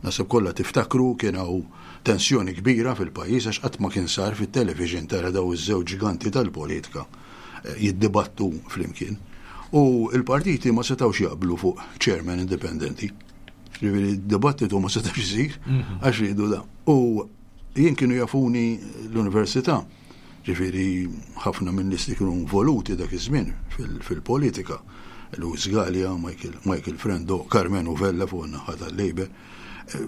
Speaker 3: Naħseb kollha tiftakru kien hawn tensjoni kbira fil-pajjiż għax qatt ma kien sar fit-television tara daw iż-żewġ ġganti tal-politika jiddibattu flimkien. U l-partiti ma setgħux jaqblu fuq chairman indipendenti. Ġifieri dibattitu ma setax isir mhm. għax ridu da. U jien kienu jafuni l-università, ġifieri ħafna minn nies li kienu involuti dak iż-żmien fil-politika. Louis Gallia, Michael, Michael Frendo, Carmen Uvella fuq in-naħa tal-Labor, eh,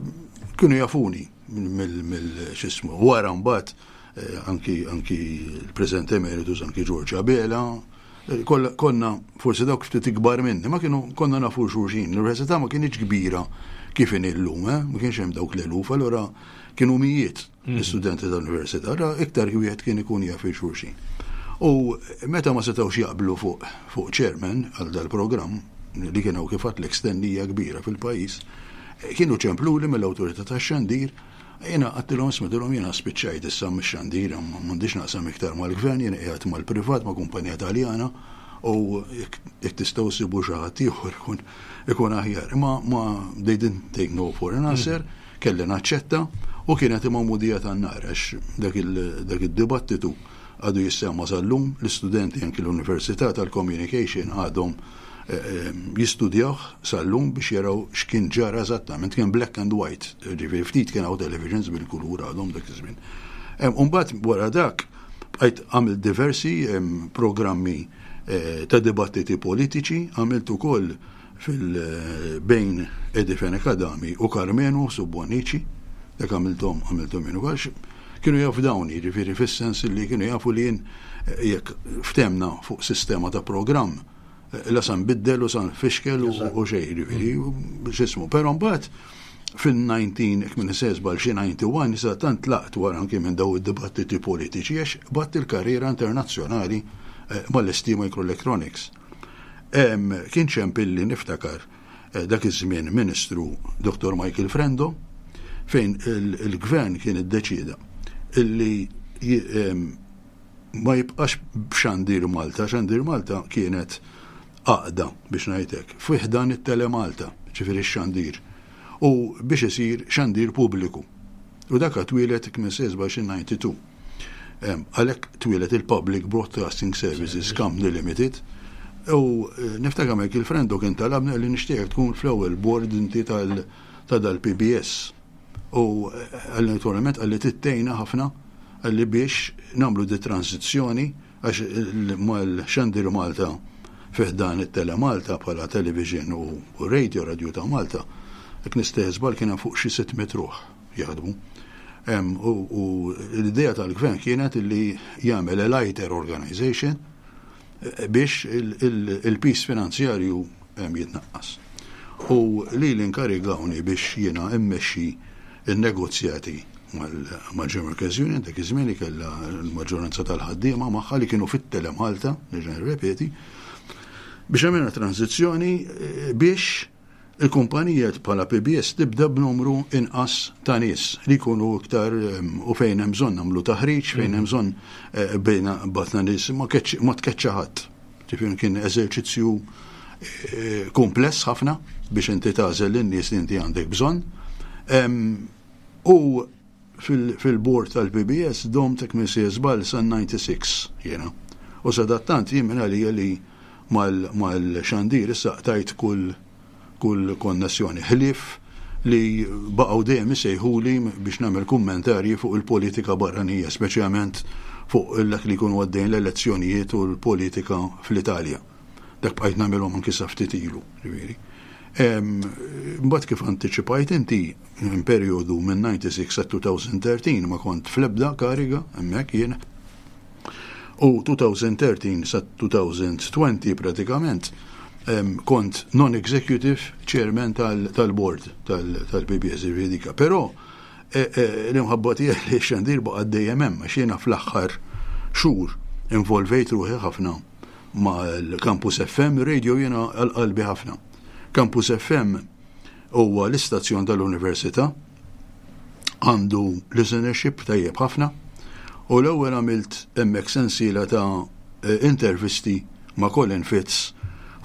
Speaker 3: kienu jafuni mill-xismu. Wara mbagħad eh, anki anki l-President Emeritus, anki George Abela, eh, konna forsi dawk ftit ikbar minni, ma kienu konna nafu xulxin. L-università ma kienx kbira kif in illum, eh? ma kienx hemm dawk l-eluf, allura kienu mijiet mm. l-istudenti tal-università, allura iktar wieħed kien ikun jaf xulxin. U meta ma setgħux jaqblu fuq fuq chairman għal dal-programm li kienu kif għatlek stennija kbira fil-pajjiż, kienu ċempluli mill-awtorità tax-xandir Jiena għadtilhom isma' jiena spiċċajt issa mix-xandir, m'għandix naqsam iktar mal-gvern, jiena qiegħed mal-privat ma' kumpanija Taljana u jekk tistgħu ssibu xi ħadd ieħor ikun ikun aħjar. Imma ma they didn't take no for an answer, mm. kelli naċċetta u kienet imma mudija tan-nar għax dak id-dibattitu għadu jissemma sal-lum l-istudenti anki l-Università tal-Communication għadhom jistudjawh sal-lum biex jaraw x'kien ġara eżattament, kien black and white, ġifieri ftit kien hawn televisions bil-kulur għadhom dak iż-żmien. Umbagħad wara dak bqajt għamilt diversi programmi eh, ta' dibattiti politiċi, għamilt ukoll fil-bejn Eddie Fenech Adami u Karmenu Subbonici, dak għamilthom għamilthom jien ukoll. Kienu jafdawni, ġifieri fis-sens li kienu jafu li jien eh, jekk ftemna fuq sistema ta' programm la sa nbiddel u sa nfixkel u xejn, ġifieri, x'ismu. Però mbagħad fin-19, jekk minn żball xi 91, issa tant tlaqt wara anki minn daw id-dibattiti politiċi għax batt il-karriera internazzjonali eh, mal-ST Microelectronics. Kien ċempilli niftakar eh, dak iż-żmien Ministru Dr. Michael Frendo fejn il-gvern kien iddeċieda illi ma jibqax b'Xandir Malta, Xandir Malta kienet għaqda biex ngħid hekk, fi ħdan it-Telemalta, ġifieri x-xandir, u biex isir xandir pubbliku. U dak twieled 1992. Għalhekk twieled il-Public Broadcasting Services Company Limited u eh, niftakar Michael Frendo kien talabni li nixtieq tkun fl-ewwel board inti ta' dal-PBS. U eh, naturalment qalli tittejna ħafna qalli biex nagħmlu di transizzjoni għax mal-xandir Malta fi ħdan it-Telemalta bħala television u radio, radio ta' Malta, jekk nistgħu żball kien hemm fuq xi 600 ruħ jaħdmu. U l-idea tal-gvern kienet li jagħmel a lighter organization biex il-piż finanzjarju jitnaqqas. U li l-inkarigawni biex jiena immexxi n-negozjati mal-General Workers Union, dak iż-żmien li kellha l-maġġoranza tal-ħaddiema magħha li kienu fit-Telemalta, nerġa' nirrepeti, biex għamilna tranżizzjoni eh, biex Il-kumpanija bħala PBS tibda b'numru inqas ta' nies li jkunu iktar u fejn hemm bżonn nagħmlu taħriġ, fejn hemm bżonn eh, bejna batna nies ma tkeċċa ħadd. Ġifieri kien eżerċizzju eh, kumpless ħafna biex inti tagħżel lin-nies li inti għandek bżonn. U fil-bord tal-PBS domt hekk minn sejjer żball sa 96 jiena. U sadattant jien minn għalija li mal-xandir issa qtajt kull kull konnessjoni. Ħlief li baqgħu dejjem isejħuli biex nagħmel kummentarji fuq il-politika barranija, speċjalment fuq dak li jkunu għaddejn l-elezzjonijiet u l-politika fl-Italja. Dak bqajt nagħmilhom anki sa ftit ilu, ġifieri. Mbagħad kif antiċipajt inti minn perjodu minn 96 sa 2013 ma kont fl-ebda kariga hemmhekk jien. U 2013 sa 2020 pratikament kont non-executive chairman tal-board tal-PBS ġifieri Però e, e, l-imħabba tiegħi li xandir baqa' dejjem hemm għax jiena fl-aħħar xhur involvejt ruħi ħafna mal-Campus FM, radio jiena għal qalbi ħafna. Campus FM huwa l-istazzjon tal-Università, għandu listenership tajjeb ħafna u l-ewwel għamilt hemmhekk sensiela ta' eh, intervisti ma' Colin Fitz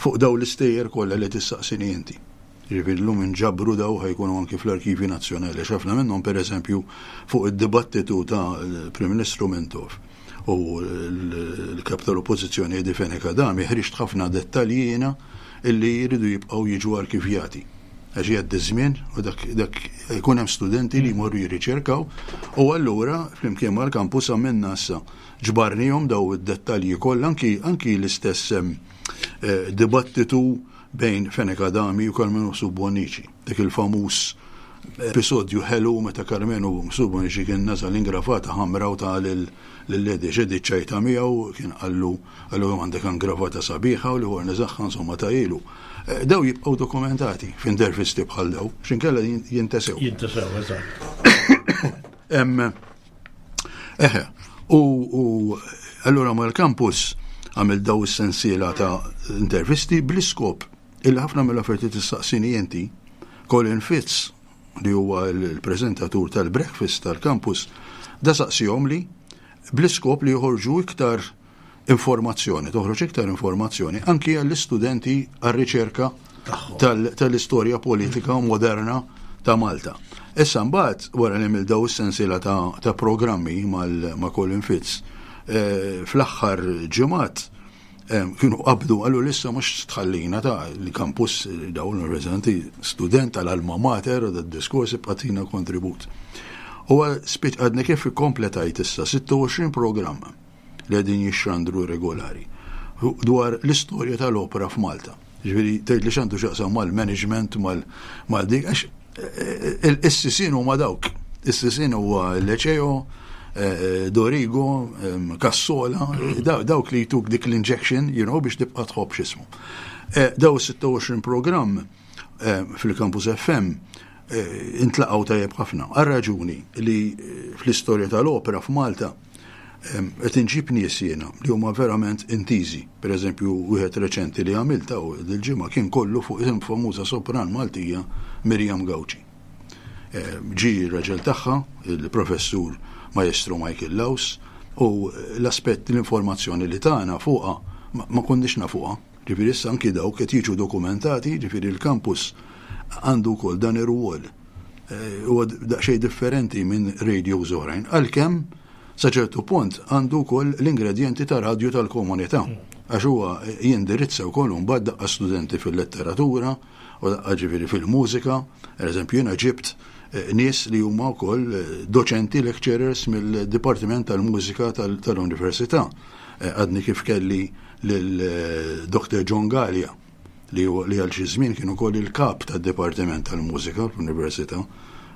Speaker 3: fuq daw l-istejjer kollha li tistaqsini inti. Jiġifieri llum inġabru daw ħa jkunu anki fl-Arkivji Nazzjonali għax ħafna minnhom pereżempju fuq id-dibattitu ta' Prim Ministru Mintoff u l-Kap tal-Oppożizzjoni Eddie Fenech Adami ħriġt ħafna dettalji jiena illi jridu jibqgħu jiġu arkivjati. Għax jgħaddi żmien u dak dak jkun hemm studenti li jmorru jirriċerkaw u allura flimkien mal-kampus għamilna issa ġbarnihom daw id-dettalji kollha anki anki l-istess eh, dibattitu bejn Fenech Adami u Karmenu Mifsud Bonnici. Dak il-famuż episodju ħelu meta Karmenu Mifsud Bonnici kien naża l-ingravata ħamra u ta lil Eddie x'Eddie ċċajta miegħu kien qallu qallu kemm għandek ingravata sabiħa u l-ieħor neżagħha insomma ta ilu. Eh, daw jibqgħu dokumentati f'intervisti bħal daw, x'inkella jintesew.
Speaker 2: Jintesew, eżatt.
Speaker 3: Eħe, u, u allura mal-campus għamil daw is-sensiela ta' intervisti bl-iskop illi ħafna mill-offerti tistaqsini inti, Colin Fitz, li huwa l-preżentatur tal-breakfast tal-campus, da saqsihom li bl-iskop li joħorġu iktar informazzjoni, toħroġ iktar informazzjoni anki għall-istudenti għar-riċerka tal-istorja politika moderna ta' Malta. Issa mbagħad wara li għamil daw is-sensiela ta', ta programmi ma' Colin Fitz, eh, fl-aħħar ġimgħat eh, kienu qabdu għallu lissa mhux tħallina ta' l-kampus eh, dawn l-reżenti student tal-alma mater u d-diskors ibqatina kontribut. U spiċ għadni kif ikkompletajt issa 26 programm li qegħdin jixxandru regolari dwar l-istorja tal-opera f'Malta. Ġifieri tgħid li x'għandu x'jaqsam mal-management mal dik għax eh, eh, is-sisin huma dawk. Is-sisin huwa l-Leceo, eh, Dorigo, Cassola, dawk li jtuk dik l-injection, you know, biex tibqa' tħobb x'ismu. Daw 26 programm fil-Campus FM intlaqgħu tajjeb ħafna. Għal raġuni li fl-istorja tal-opera f'Malta qed inġib nies jiena li huma verament intiżi. Per eżempju, wieħed reċenti li għamilta u dil-ġimgħa kien kollu fuq il-famuża sopran Maltija Miriam Gauci. Ġi r-raġel tagħha, il-professur Maestro Michael Laus, u l-aspett l-informazzjoni li tagħna fuqha ma konniex nafuha. Ġifieri issa anki dawk qed jiġu dokumentati, ġifieri l-kampus għandu wkoll dan ir-rwol. Eh, huwa daqsxejn differenti minn radios oħrajn, għalkemm sa ċertu punt għandu wkoll l-ingredjenti ta' radju tal-komunità. Għax huwa jindirizza wkoll mbagħad daqqa studenti fil-letteratura u daqqa ġifieri fil-mużika. Per eżempju, jiena ġibt eh, nies li huma wkoll eh, doċenti lecturers mill-Dipartiment tal-Mużika tal-Università. Għadni kif kelli lil Dr. John Galea li li għal xi żmien kien ukoll il-kap tad-Dipartiment tal-Mużika fl-Università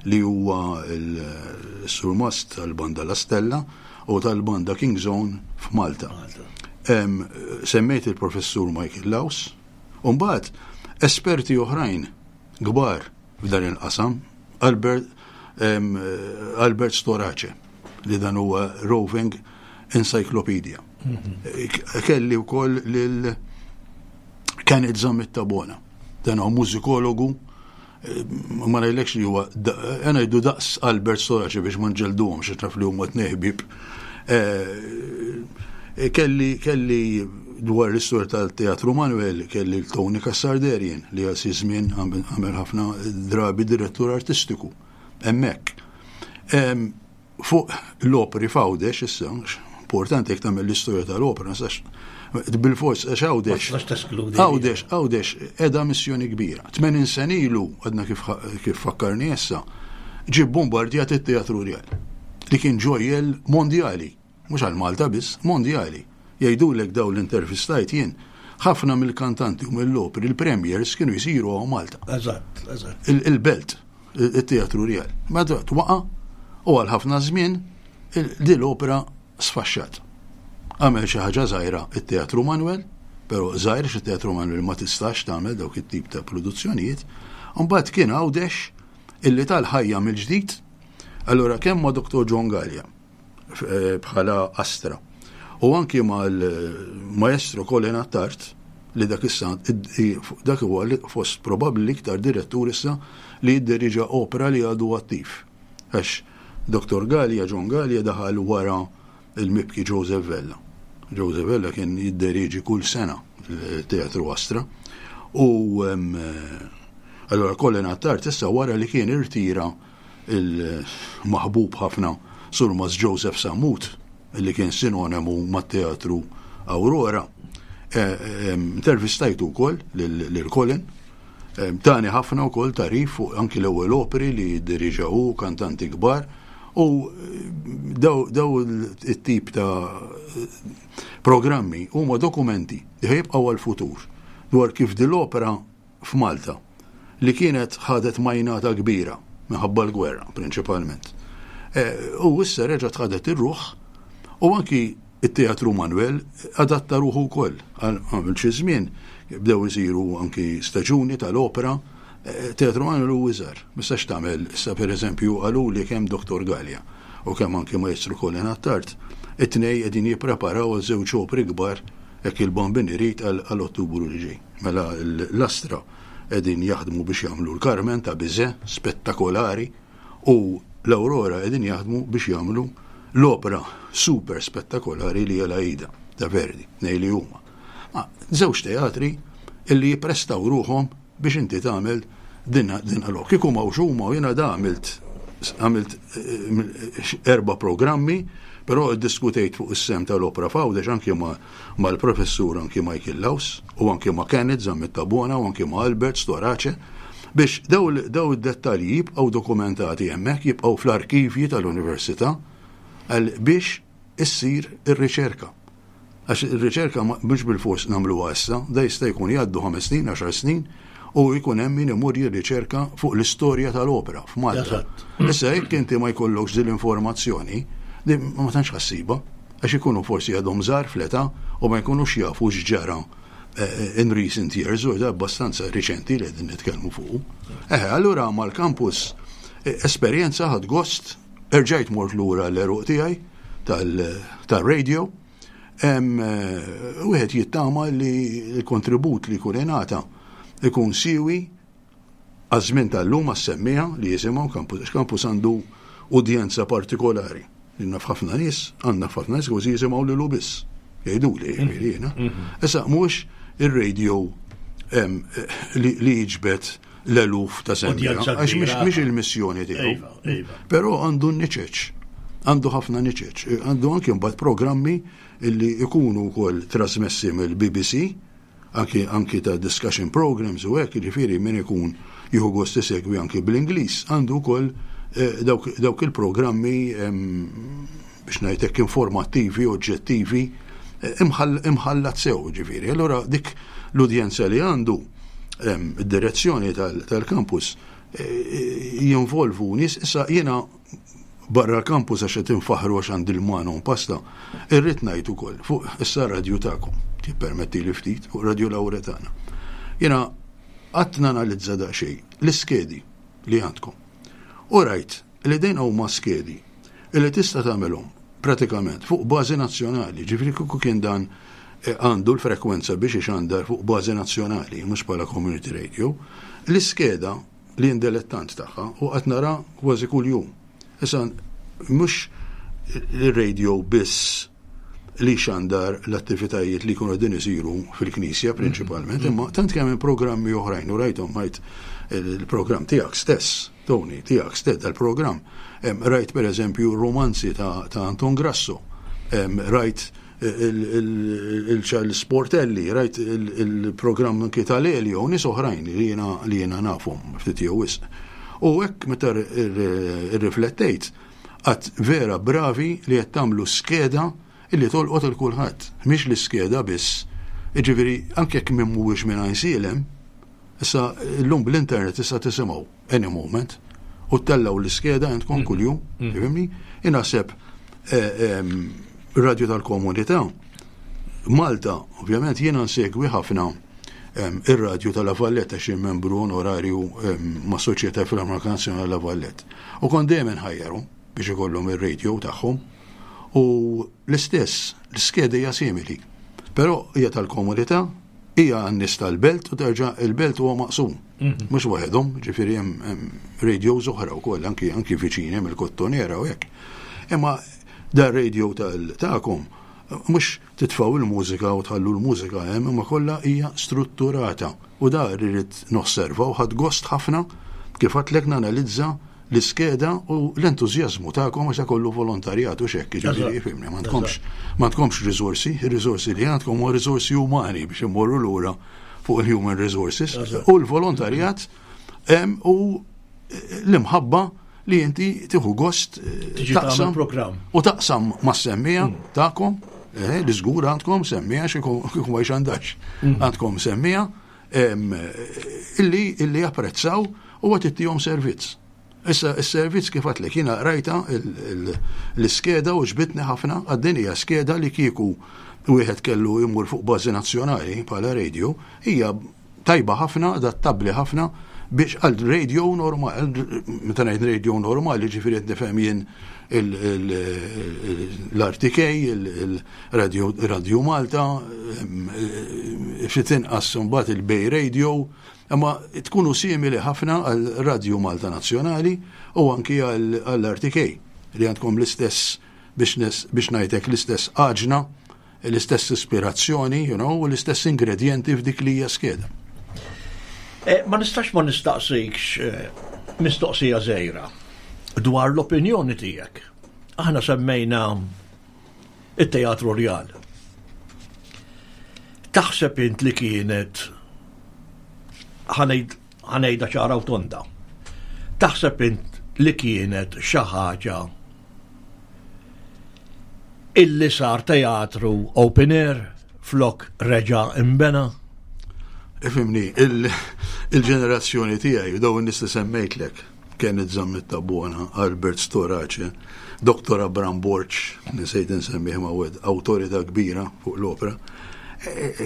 Speaker 3: li huwa l-surmast tal-Banda La Stella u tal-Banda King's Own f'Malta. Semmejt il-Professur Michael Laus, u mbagħad esperti oħrajn kbar f'dan il-qasam, Albert, Albert Storace, li dan huwa roving encyclopedia. Mhm. Kelli wkoll lil Kenneth Zammit Tabona. Dan huwa mużikologu, ma ngħidlekx li huwa ngħidu daqs Albert Storace biex ma nġelduhomx għax naf li huma tnejn ħbieb. Eh, kelli kelli dwar l-istorja tal-Teatru Manuel kelli l-Tony Cassar-Derien li għal xi żmien għamel ħafna drabi direttur artistiku hemmhekk. Fuq l-opri f'Għawdex issa, importanti jekk tagħmel l-istorja tal-opra, nistax bil-fors għax Għawdex. Għawdex, Għawdex qiegħda missjoni kbira. 80 sen ilu għadna kif, kif fakkarni issa, ġie bombardjat it-Teatru Rjal li kien ġojjel mondjali, mhux għal Malta biss, mondjali. Jgħidulek daw l-intervistajt jien, ħafna mill-kantanti u mill-opri, il-premiers kienu jisiru għaw Malta.
Speaker 2: Eżatt, eżatt.
Speaker 3: Il-belt. it-Teatru Rjal. Meta twaqa' u għal ħafna żmien din l-opera sfaxxat. Għamel xi ħaġa żgħira it-Teatru Manuel, però żgħir xi Teatru Manuel ma tistax tagħmel dawk it-tip ta' produzzjonijiet. Mbagħad kien Għawdex illi tal-ħajja mill-ġdid. Allura kemm ma' Dr. John Gallia Eh, bħala Astra. U anki mal-maestro Colin Attard li dak issa dak huwa fost probabbli l-iktar direttur issa li jidderiġa opera li għadu attiv. Għax Dr. Gallia, John Gallia daħal wara il-mibki Joseph Vella. Joseph Vella kien jidderiġi kull sena teatru Astra. U allora Colin Attard issa wara li kien irtira il-maħbub ħafna Surmast Joseph Sammut, li kien sinonimu mat-Teatru Aurora. Intervistajtu wkoll lil Colin. Tani ħafna wkoll tagħrif fuq anki l-ewwel operi li ddiriġa hu, kantanti kbar. U daw it-tip ta' programmi huma dokumenti li ħajibqgħu għall-futur dwar kif din l-opera f'Malta, li kienet ħadet majnata kbira minħabba l-gwerra prinċipalment. U issa reġgħet ħadet ir-ruħ u anki it-Teatru Manuel adatta ruħu wkoll. Għamil xi żmien bdew isiru anki staġuni tal-opera. Teatru Manuel hu iżgħar. Ma tistax tagħmel issa pereżempju qaluli kemm Dottor Galea u kemm anki Maestru Colin Attard, it-tnej qegħdin jippreparaw għal żewġ opri kbar hekk il-Bambin irid għal Ottubru li ġej. Mela l-Astra qegħdin jaħdmu biex jagħmlu l-Carmen ta' Bizet, spettakolari, u l-Aurora qegħdin jaħdmu biex jagħmlu l-opera super spettakolari li hija l-Aida ta' Verdi, tnejn li huma. Ma żewġ teatri illi jipprestaw ruħhom biex inti tagħmel din din l Kieku m'hawnx huma u jiena da għamilt għamilt eh, erba' programmi, però ddiskutejt fuq is-sem tal-opera f'Għawdex anki ma' mal-Professur anki Michael Laus u anki ma' Kenneth Zammit Tabona u anki ma' Albert Storace biex daw id-dettalji jibqgħu dokumentati hemmhekk, jibqgħu fl-arkivji tal-Università biex issir ir-riċerka. Għax ir-riċerka mhux bilfors nagħmluha issa, da jista' jkun jgħaddu ħames snin, għaxar snin, u jkun hemm min imur jirriċerka fuq l-istorja tal-opera f'Malta. Issa jekk inti ma jkollokx din l-informazzjoni, ma tantx ħassiba. Għax ikunu forsi għadhom żgħar fl-età u ma jkunux jafu x'ġara in recent years, u abbastanza riċenti li qegħdin nitkellmu fuqu. Eħe, allura mal-campus esperjenza ħadt gost, erġajt mort lura l-għeruq tiegħi tal-radio. Wieħed jittama li l-kontribut li jkun ingħata ikun siwi Għaż-żmien tal-lum għas-semmiegħa li jisimgħu Campus, għax Campus għandu udjenza partikolari. Jien naf ħafna nies, għandna ħafna nies kważi jisimgħu lilu biss. Jgħiduli, jiġifieri jiena. Issa mhux ir-radio li jiġbed l-eluf ta' semmiegħa, għax mhix il-missjoni tiegħu. Iva, iva. Però għandu n-niċeċ, għandu ħafna niċeċ, għandu anki mbagħad programmi li jkunu wkoll trasmessi mill-BBC anki anki ta' discussion programs u hekk, jiġifieri min ikun jieħu gost isegwi anki bl-Ingliż għandu wkoll eh, dawk, dawk il-programmi biex ngħid hekk informattivi, oġġettivi, eh, imħallat sew ġifieri. Allura dik l-udjenza li għandu id-direzzjoni tal-kampus eh, jinvolvu nies issa jiena barra l-kampus għax qed infaħħru għax għandi l-mano pasta, irrid ngħid ukoll fuq issa radju tagħkom, tippermettili ftit, fuq Radio Lauretana. Jiena qatt nanalizza daqsxejn l-iskedi li għandkom. U rajt li dejn huma skedi li tista' tagħmelhom pratikament fuq bażi nazzjonali, ġifieri kieku kien dan għandu l-frekwenza biex ixandar fuq bażi nazzjonali, mhux bħala community radio. L-iskeda li jien delettant tagħha u qed nara kważi kuljum. Issa mhux ir-radio biss li xandar l-attivitajiet li jkunu qegħdin isiru fil-knisja prinċipalment, mm-hmm. imma tant kemm hemm programmi oħrajn u rajthom rajt il-programm tiegħek stess, Tony, tiegħek stess dal-programm. Rajt pereżempju romanzi ta' Anton Grasso, rajt il-Charles Sportelli, rajt il-programm anki tal-Elio, u nies oħrajn li jiena li jiena nafhom ftit jew wisq. U hekk meta rriflettejt, għad vera bravi li qed tagħmlu skeda illi tolqot il kulħadd, mhix l-iskeda biss. Jiġifieri anke jekk min mhuwiex minn Għajnsielem, issa llum bl-internet tista' tisimgħu. any moment, u ttellgħu l-iskeda għandkom mm. kuljum, mm. tifhimni? Inaħseb eh, radio tal-komunità, Malta, ovvjament jiena nsegwi ħafna ir-radju tal-La Valletta xi membru onorarju ma' Soċjetà Filarmonika Nazzjonali La Valletta. U kont dejjem inħajjarhom biex ikollhom ir-radio tagħhom u l-istess, l-iskeda hija simili. Però hija tal-komunità, Hija għan-nies tal-belt u terġa' il-belt huwa maqsum. Mhm. Mhux waħedhom, ġifieri hemm radios oħra wkoll anki anki viċin hemm il-Kottonera u hekk. Imma dar radio tagħkom mhux titfgħu il-mużika u tħallu l-mużika hemm imma kollha hija strutturata u da rrid nosserva u ħadd gost ħafna kif għadtlek nanalizza l-iskeda u l-entużjażmu tagħkom għax kollu volontarjat u xekk, jiġifieri fimni, m'għandkomx m'għandkomx riżorsi, ir-riżorsi li għandkom huwa riżorsi umani biex immorru lura fuq il-human resources u l-volontarjat u l-imħabba li inti tieħu gost eh, taqsam
Speaker 2: programm
Speaker 3: u taqsam mas-semmija mm. tagħkom eh, li żgur għandkom semmija xi kieku ma jxandax mm. għandkom semmija illi illi japprezzaw u għat ittihom servizz. Issa s-servizz kif għatlek jiena rajta l-iskeda u ġbitni ħafna għad-din hija skeda li kieku wieħed kellu jmur fuq bażi nazzjonali bħala radio hija tajba ħafna, adattabbli ħafna biex għal radio normali, meta ngħid radio normali ġifieri qed nifhem jien l-RTK, il-Radio Malta, ftit inqas imbagħad il-Bay Radio, imma tkunu simili ħafna għal Radio Malta Nazzjonali u anki għall-RTK li għandkom l-istess biex ngħidlek l-istess għaġna l-istess ispirazzjoni, you know, u l-istess ingredjenti f'dik li hija skeda.
Speaker 2: Eh, ma nistax ma nistaqsikx eh, mistoqsija żgħira dwar l-opinjoni tiegħek. Aħna semmejna it-Teatru Rjal. Taħseb int li kienet ħanejda ċara u tonda. Taħseb int li kienet xi ħaġa Illi sar teatru open air flok reġa' inbena.
Speaker 3: Ifhimni, il-ġenerazzjoni tiegħi u dawn in-nies li semmejtlek, Kenneth Zammit Tabona, Albert Storace, Dottor Abram Borg, nsejt insemmih ma wieħed awtorità kbira fuq l-opra,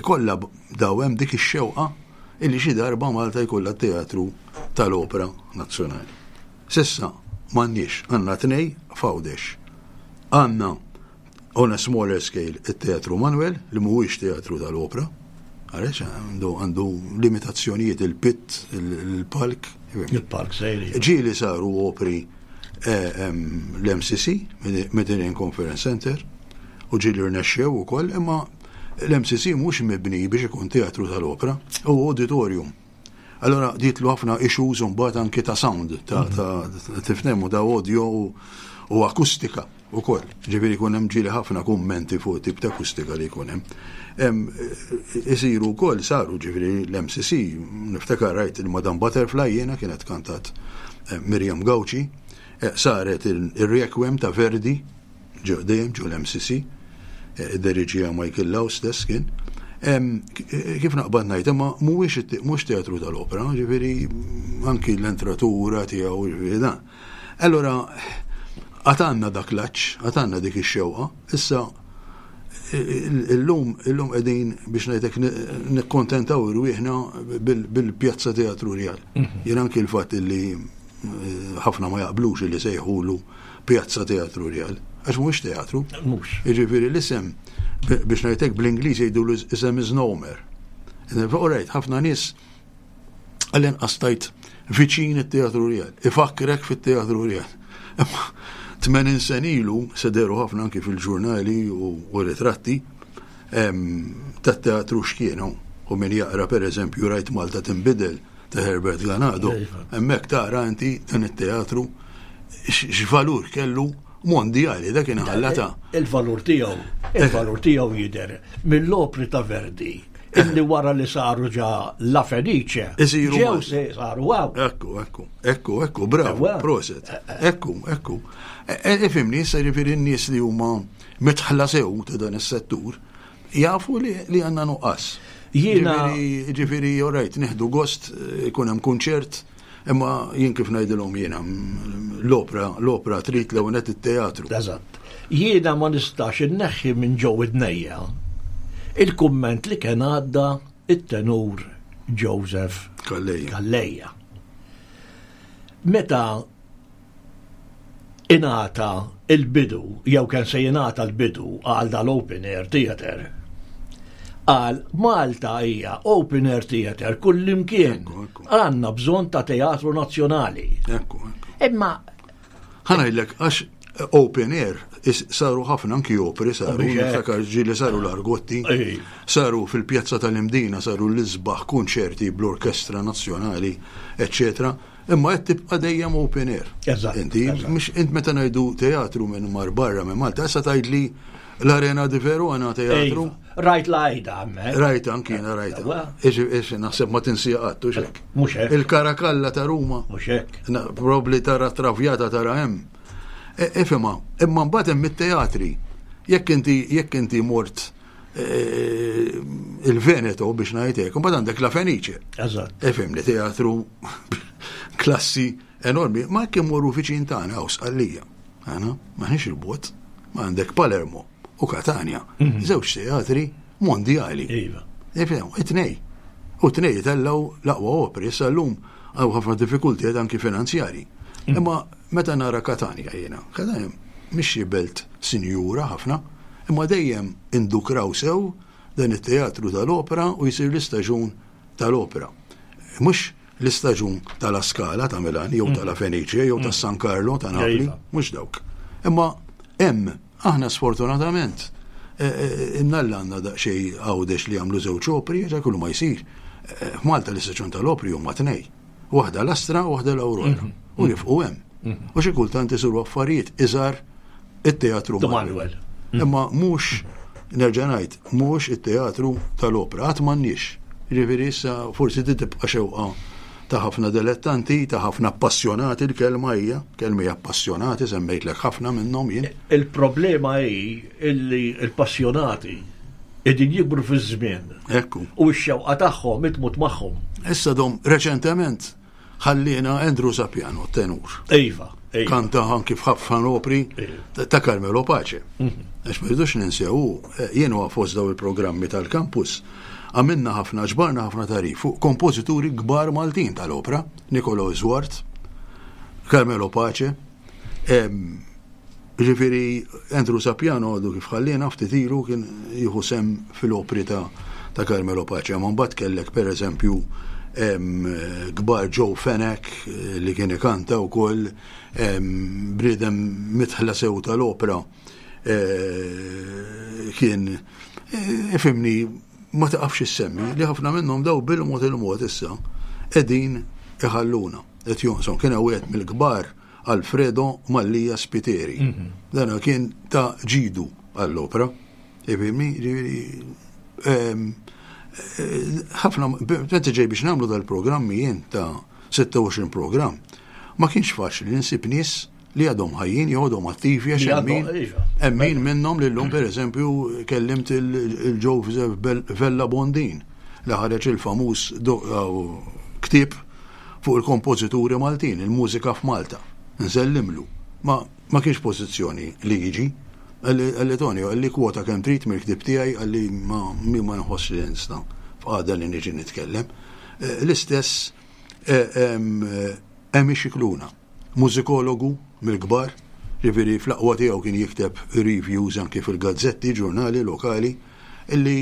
Speaker 3: kollha daw hemm dik ix-xewqa illi xi darba Malta jkollha teatru tal-opra nazzjonali. S'issa m'għandniex, għandna tnej f'Għawdex. Għandna on a smaller scale it-Teatru Manuel li mhuwiex teatru tal-opra, għaliex għandu għandu limitazzjonijiet il-pit, il-palk.
Speaker 2: Il-palk sejri.
Speaker 3: Ġieli saru opri eh, l-MCC, Mediterranean Conference Center, u ġieli rnexxew ukoll, imma l-MCC mhux mibni biex ikun teatru tal-opra, u auditorium. Allora ditlu ħafna issues mbagħad anki ta' sound, ta' mhm. tifnemu ta' audio u akustika ukoll. Ġifieri jkun hemm ġieli ħafna kummenti fuq tip ta' akustika li jkun hemm. Isiru wkoll saru ġifieri l-MCC, niftakar rajt il-Madame Butterfly jiena kienet kantat eh, Miriam Gauci, eh, saret il-Requiem ta' Verdi ġew dejjem ġew l-MCC, eh, id-deriġija Michael Law stess kien. Kif naqbad ngħid, imma mhuwiex mhux teatru tal-opera, ġifieri anki l-entratura tiegħu ġifieri dan. Allora għatanna dak l-aċ, għatanna dik ix-xewqa, issa illum illum qegħdin biex ngħidlek nikkontentaw irwieħna bil-pjazza teatru rjal. Mhm. Jien anki l-fatt li eh, ħafna ma jaqblux li sejħulu Pjazza Teatru Rjal, għax mhuwiex teatru.
Speaker 2: Mhux.
Speaker 3: Jiġifieri l-isem Biex ngħidlek bl-Ingliż jgħidu is a misnomer. Alright, ħafna nies għall-inqas tajt viċin it-Teatru Rjal, ifakkrek fit-Teatru Rjal. Imma 80 sen ilu se deru ħafna anki fil-ġurnali u ritratti tat-teatru x'kienu. U min jaqra pereżempju rajt Malta tinbidel ta' Herbert Ganado, iva. hemmhekk tara inti dan it-teatru x'valur kellu mondjali dak kien ħallata.
Speaker 2: Il-valur tiegħu, il-valur tiegħu jidher mill-opri ta' Verdi illi wara li saru ġa La Fenice.
Speaker 3: Isiru.
Speaker 2: Ġew se saru għaw.
Speaker 3: Ekku, ekku, ekku, ekku, bravo, proset. Eh, eh. Ekku, ekku. Ifimni, issa ġifieri n-nies li huma mitħla sew ta' dan is-settur, jafu li għandna nuqqas. Jiena ġifieri orajt nieħdu gost ikun hemm kunċert, imma jien kif ngħidilhom jiena l-opra, l-opra trid l-ewwel it-teatru.
Speaker 2: Eżatt. Jiena ma nistax inneħħi minn ġew id-nejja il-kumment li kien għadda it-tenur Joseph
Speaker 3: Calleja.
Speaker 2: Meta ingħata il-bidu, jew kien se jingħata l-bidu għal dal-open air theater, qal Malta hija open air theater kullimkien. Għandna bżonn ta' teatru nazzjonali.
Speaker 3: Ekku, ekku.
Speaker 2: Imma
Speaker 3: Ħa ngħidlek għax open air saru ħafna anki opri saru, niftakar ġieli saru l-Argotti, saru fil-pjazza tal-Imdina saru l-isbaħ kunċerti bl-Orkestra Nazzjonali, eccetera. Imma qed tibqa' dejjem open air.
Speaker 2: Eżatt.
Speaker 3: Inti, mhux int meta ngħidu teatru minn mar barra minn Malta, issa tgħidli l-Arena di Verona teatru.
Speaker 2: Iva. Rajt l-għajda hemmhekk.
Speaker 3: Rajta anki jiena rajta. Ix naħseb ma tinsija qatt hux hekk.
Speaker 2: Mhux hekk.
Speaker 3: Il-Karakalla ta' Ruma.
Speaker 2: Mhux hekk.
Speaker 3: Probabbli tara Traviata tara hemm. E, ifhimha, imma mbagħad hemm it-teatri. Jekk inti jekk inti mort e, il-Veneto biex ngħid hekk, imbagħad għandek La Fenice.
Speaker 2: Eżatt.
Speaker 3: Ifhimni teatru klassi enormi, ma jekk immorru viċin tagħna hawn Sqallija. Għana, maħniex il-bot, ma għandek Palermo u Katania, mhm. żewġ teatri mondjali.
Speaker 2: Iva.
Speaker 3: Ifhem, it-tnej. U t-tnej jitellaw l-aqwa opri, issa llum għaw ħafna diffikultijiet anki finanzjari. Mhm. Imma meta nara Katania jiena, Katania mhix xi belt sinjura ħafna, imma dejjem indukraw sew dan it-teatru tal-opera u jsir l-istaġun tal-opera. Mhux l-istaġun ta' La Scala ta' Milan jew ta' La Fenice jew ta' San Carlo ta' Napli, mhux dawk. Imma hemm aħna sfortunatament eh, eh, imnalla għandna daqsxejn għawdex li jagħmlu żewġ opri, ġa kullu ma jsir. Eh, F'Malta l-istaġun tal-opri huma tnej. Waħda l-Astra u waħda l-Aurora. Mhm. U nifqu hemm. Mhm. U xi kultant isiru affarijiet iżgħar it-teatru
Speaker 2: Manuel.
Speaker 3: Mhm. Imma mhux nerġa' ngħid, mhux it-teatru tal-opra, qatt m'għandniex. Ġifieri issa forsi di tibqa' xewqa ta' ħafna dilettanti, ta' ħafna appassjonati l-kelma hija, kelma hija appassjonati, semmejtlek ħafna minnhom jien.
Speaker 2: Il-problema hi illi l-passjonati qegħdin jikbru fiż-żmien.
Speaker 3: Ekku.
Speaker 2: U x-xewqa tagħhom itmut magħhom.
Speaker 3: Issa dom reċentement ħallina Andrew Sapiano, tenur.
Speaker 2: Iva.
Speaker 3: Kanta anki f'ħafna opri iva. ta' Carmelo Pace. Mhm. Għax ma rridux ninsew, eh, jien huwa fost daw il-programmi tal-kampus, għamilna ħafna, ġbarna ħafna tarif fuq kompożituri kbar Maltin tal-opra, Nicolo Zwart, Carmelo Pace, Ġifieri Andrew Sapiano għadu kif ħalliena ftit ilu kien jieħu sehem fil-opri ta' ta' Carmelo Pace, ma mbagħad kellek pereżempju kbar Joe Fenech eh, li kien ikanta wkoll bniedem mitħla sew tal-opra eh, kien eh, ifimni ma taqafx issemmi li ħafna minnhom daw bil-mod il-mod issa qegħdin iħalluna qed jonqsom kien hawn wieħed mill-kbar Alfredo Mallia Spiteri. Mhm. Dana kien ta' ġidu għall-opra. Ifimni, ġifieri ehm, eh, ħafna, meta ġej biex nagħmlu dal-programmi jien ta' 26 programm, ma kienx faċli li nsib nies li għadhom ħajjin jew għadhom attivi għax hemm iva. min minnhom li llum pereżempju kellimt il-Joseph Vella Bondin li ħareġ il-famuż ktieb fuq il-kompożituri Maltin, il-mużika f'Malta. Nsellimlu. Ma ma kienx pożizzjoni li jiġi. Qalli Tonio, qalli kwota kemm trid mill-ktieb tiegħi, qalli ma mi ma nħossx li nista' f'qagħda li niġi nitkellem. Eh, l-istess eh, Emi Scicluna, mużikologu mill-kbar, Ġifieri fl-aqwa tiegħu kien jikteb reviews anki fil-gazzetti, ġurnali lokali, illi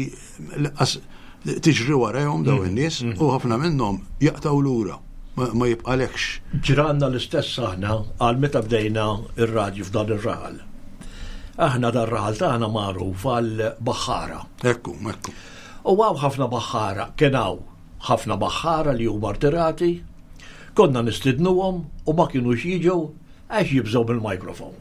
Speaker 3: lanqas tiġri warajhom dawn mm. in-nies mm. u ħafna minnhom jaqtgħu lura ma jibqalekx.
Speaker 2: Ġranna l-istess aħna għal meta bdejna ir-radju f'dan ir-raħal. Aħna dan raħal tagħna magħruf għal baħħara.
Speaker 3: Ekku, ekku.
Speaker 2: U għaw ħafna baħħara, kien hawn ħafna baħħara li huma rtirati, konna nistidnuhom u ma kienux jiġu għax jibżgħu mill-mikrofon.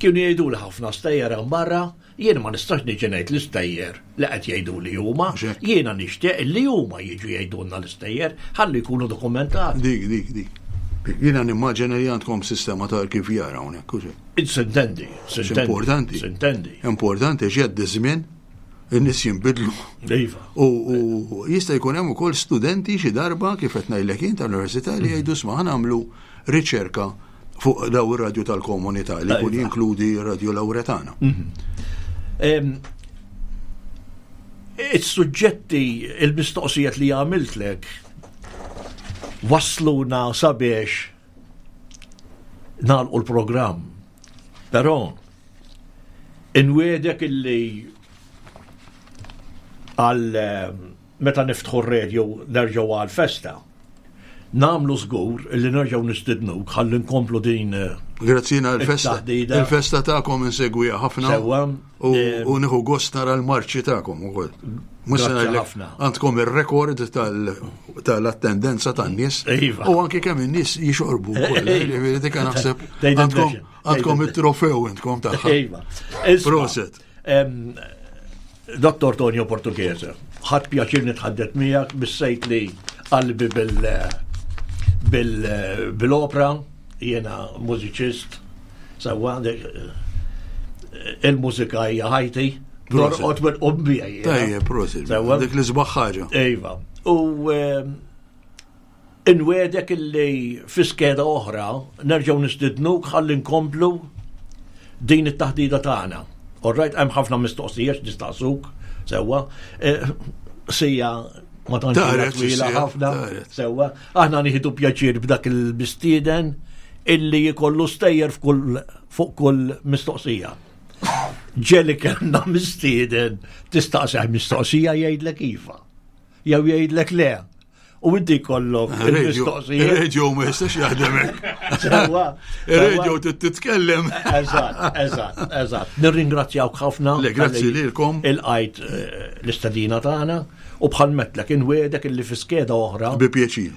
Speaker 2: Kienu jgħidu li ħafna stejjer hemm barra, jien ma nistax niġi ngħid l-istejjer li qed jgħidu li huma, jiena nixtieq li huma jiġu jgħidulna l-istejjer ħalli jkunu dokumentati.
Speaker 3: Dik, dik, dik. Jiena nimmaġina li għandkom sistema ta' arkivjar hawnhekk, u
Speaker 2: Sintendi, sintendi.
Speaker 3: Importanti.
Speaker 2: Sintendi.
Speaker 3: Importanti x'jgħaddi żmien in-nies jinbidlu.
Speaker 2: Iva.
Speaker 3: U jista' jkun hemm ukoll studenti xi darba kif qed ngħidlek jien tal-università li jgħidu sma' nagħmlu riċerka fuq daw ir-radju tal-komunità li jkun iva. jinkludi r-radju Lawretana.
Speaker 2: Mhm. Is-suġġetti, il-mistoqsijiet li għamiltlek wasluna sabiex nagħlqu l-programm. Però inwiedek illi għal meta niftħu r-radio nerġgħu għal festa. Namlu żgur illi nerġgħu nistidnuk ħalli nkomplu din eh,
Speaker 3: Grazzina l-festa. Il-festa tagħkom insegwiha ħafna.
Speaker 2: Sewwa.
Speaker 3: U eh, nieħu gost nara l-marċi tagħkom ukoll. Mhux għandkom ir-rekord tal-attendenza tan-nies.
Speaker 2: Iva.
Speaker 3: U anke kemm in-nies jixorbu wkoll. Eh, dik naħseb għandkom it-trofew intkom tagħha.
Speaker 2: Iva.
Speaker 3: Proset.
Speaker 2: Dottor Tonio Portughese, ħadd pjaċir nitħaddet miegħek bissejt li qalbi bil bil bil-opra, jiena mużiċist, sewwa il-mużika hija ħajti, norqod minn qumbija.
Speaker 3: Tajjeb, prosit. Dik li sbaħ ħaġa.
Speaker 2: Iva. U Inwiegħdek illi fi skeda oħra nerġgħu nistidnuk ħalli nkomplu din it-taħdida tagħna. All right, hemm ħafna mistoqsijiet nistaqsuk sewwa. Eh, sija ma tantx twila ħafna. Sewwa, aħna nieħdu pjaċir b'dak il-mistieden illi jkollu stejjer fuq kull mistoqsija. Ġeli kellna mistieden tistaqsih mistoqsija jgħidlek iva. Jew jgħidlek le. U inti jkollok
Speaker 3: il-mistoqsija. Il-radio ma jistax jaħdem hekk. Sewwa. Il-radio titkellem.
Speaker 2: Eżatt, eżatt, eżatt. Nirringrazzjawk ħafna.
Speaker 3: Le, grazzi lilkom.
Speaker 2: Il-qajt eh, l-istedina tagħna u bħal metlek inwiedek illi fi skeda oħra.
Speaker 3: Bi pjaċir.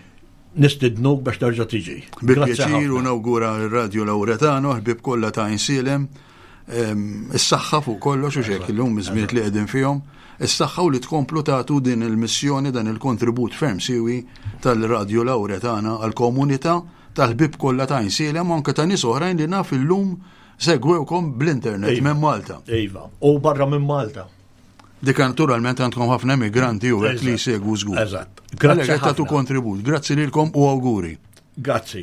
Speaker 2: Nistidnuk biex terġa' tiġi.
Speaker 3: Bi pjaċir u nawgura r-Radio Lauretano, ħbib kollha ta' Insilem. Is-saħħa fuq kollox u xek illum iż-żmien li qegħdin fihom, is-saħħa u li tkomplu tagħtu din il-missjoni dan il-kontribut ferm siwi tal-Radju Lawretana għall-komunità tal-ħbieb kollha ta' Għajnsielem u anke ta' nies oħrajn li naf illum segwewkom bl-internet iva. minn Malta.
Speaker 2: Iva, u barra minn Malta.
Speaker 3: Dik naturalment għandkom ħafna emigranti u hekk li jsegwu żgur.
Speaker 2: Eżatt.
Speaker 3: Grazzi tagħtu kontribut. Grazzi lilkom u awguri.
Speaker 2: Grazzi.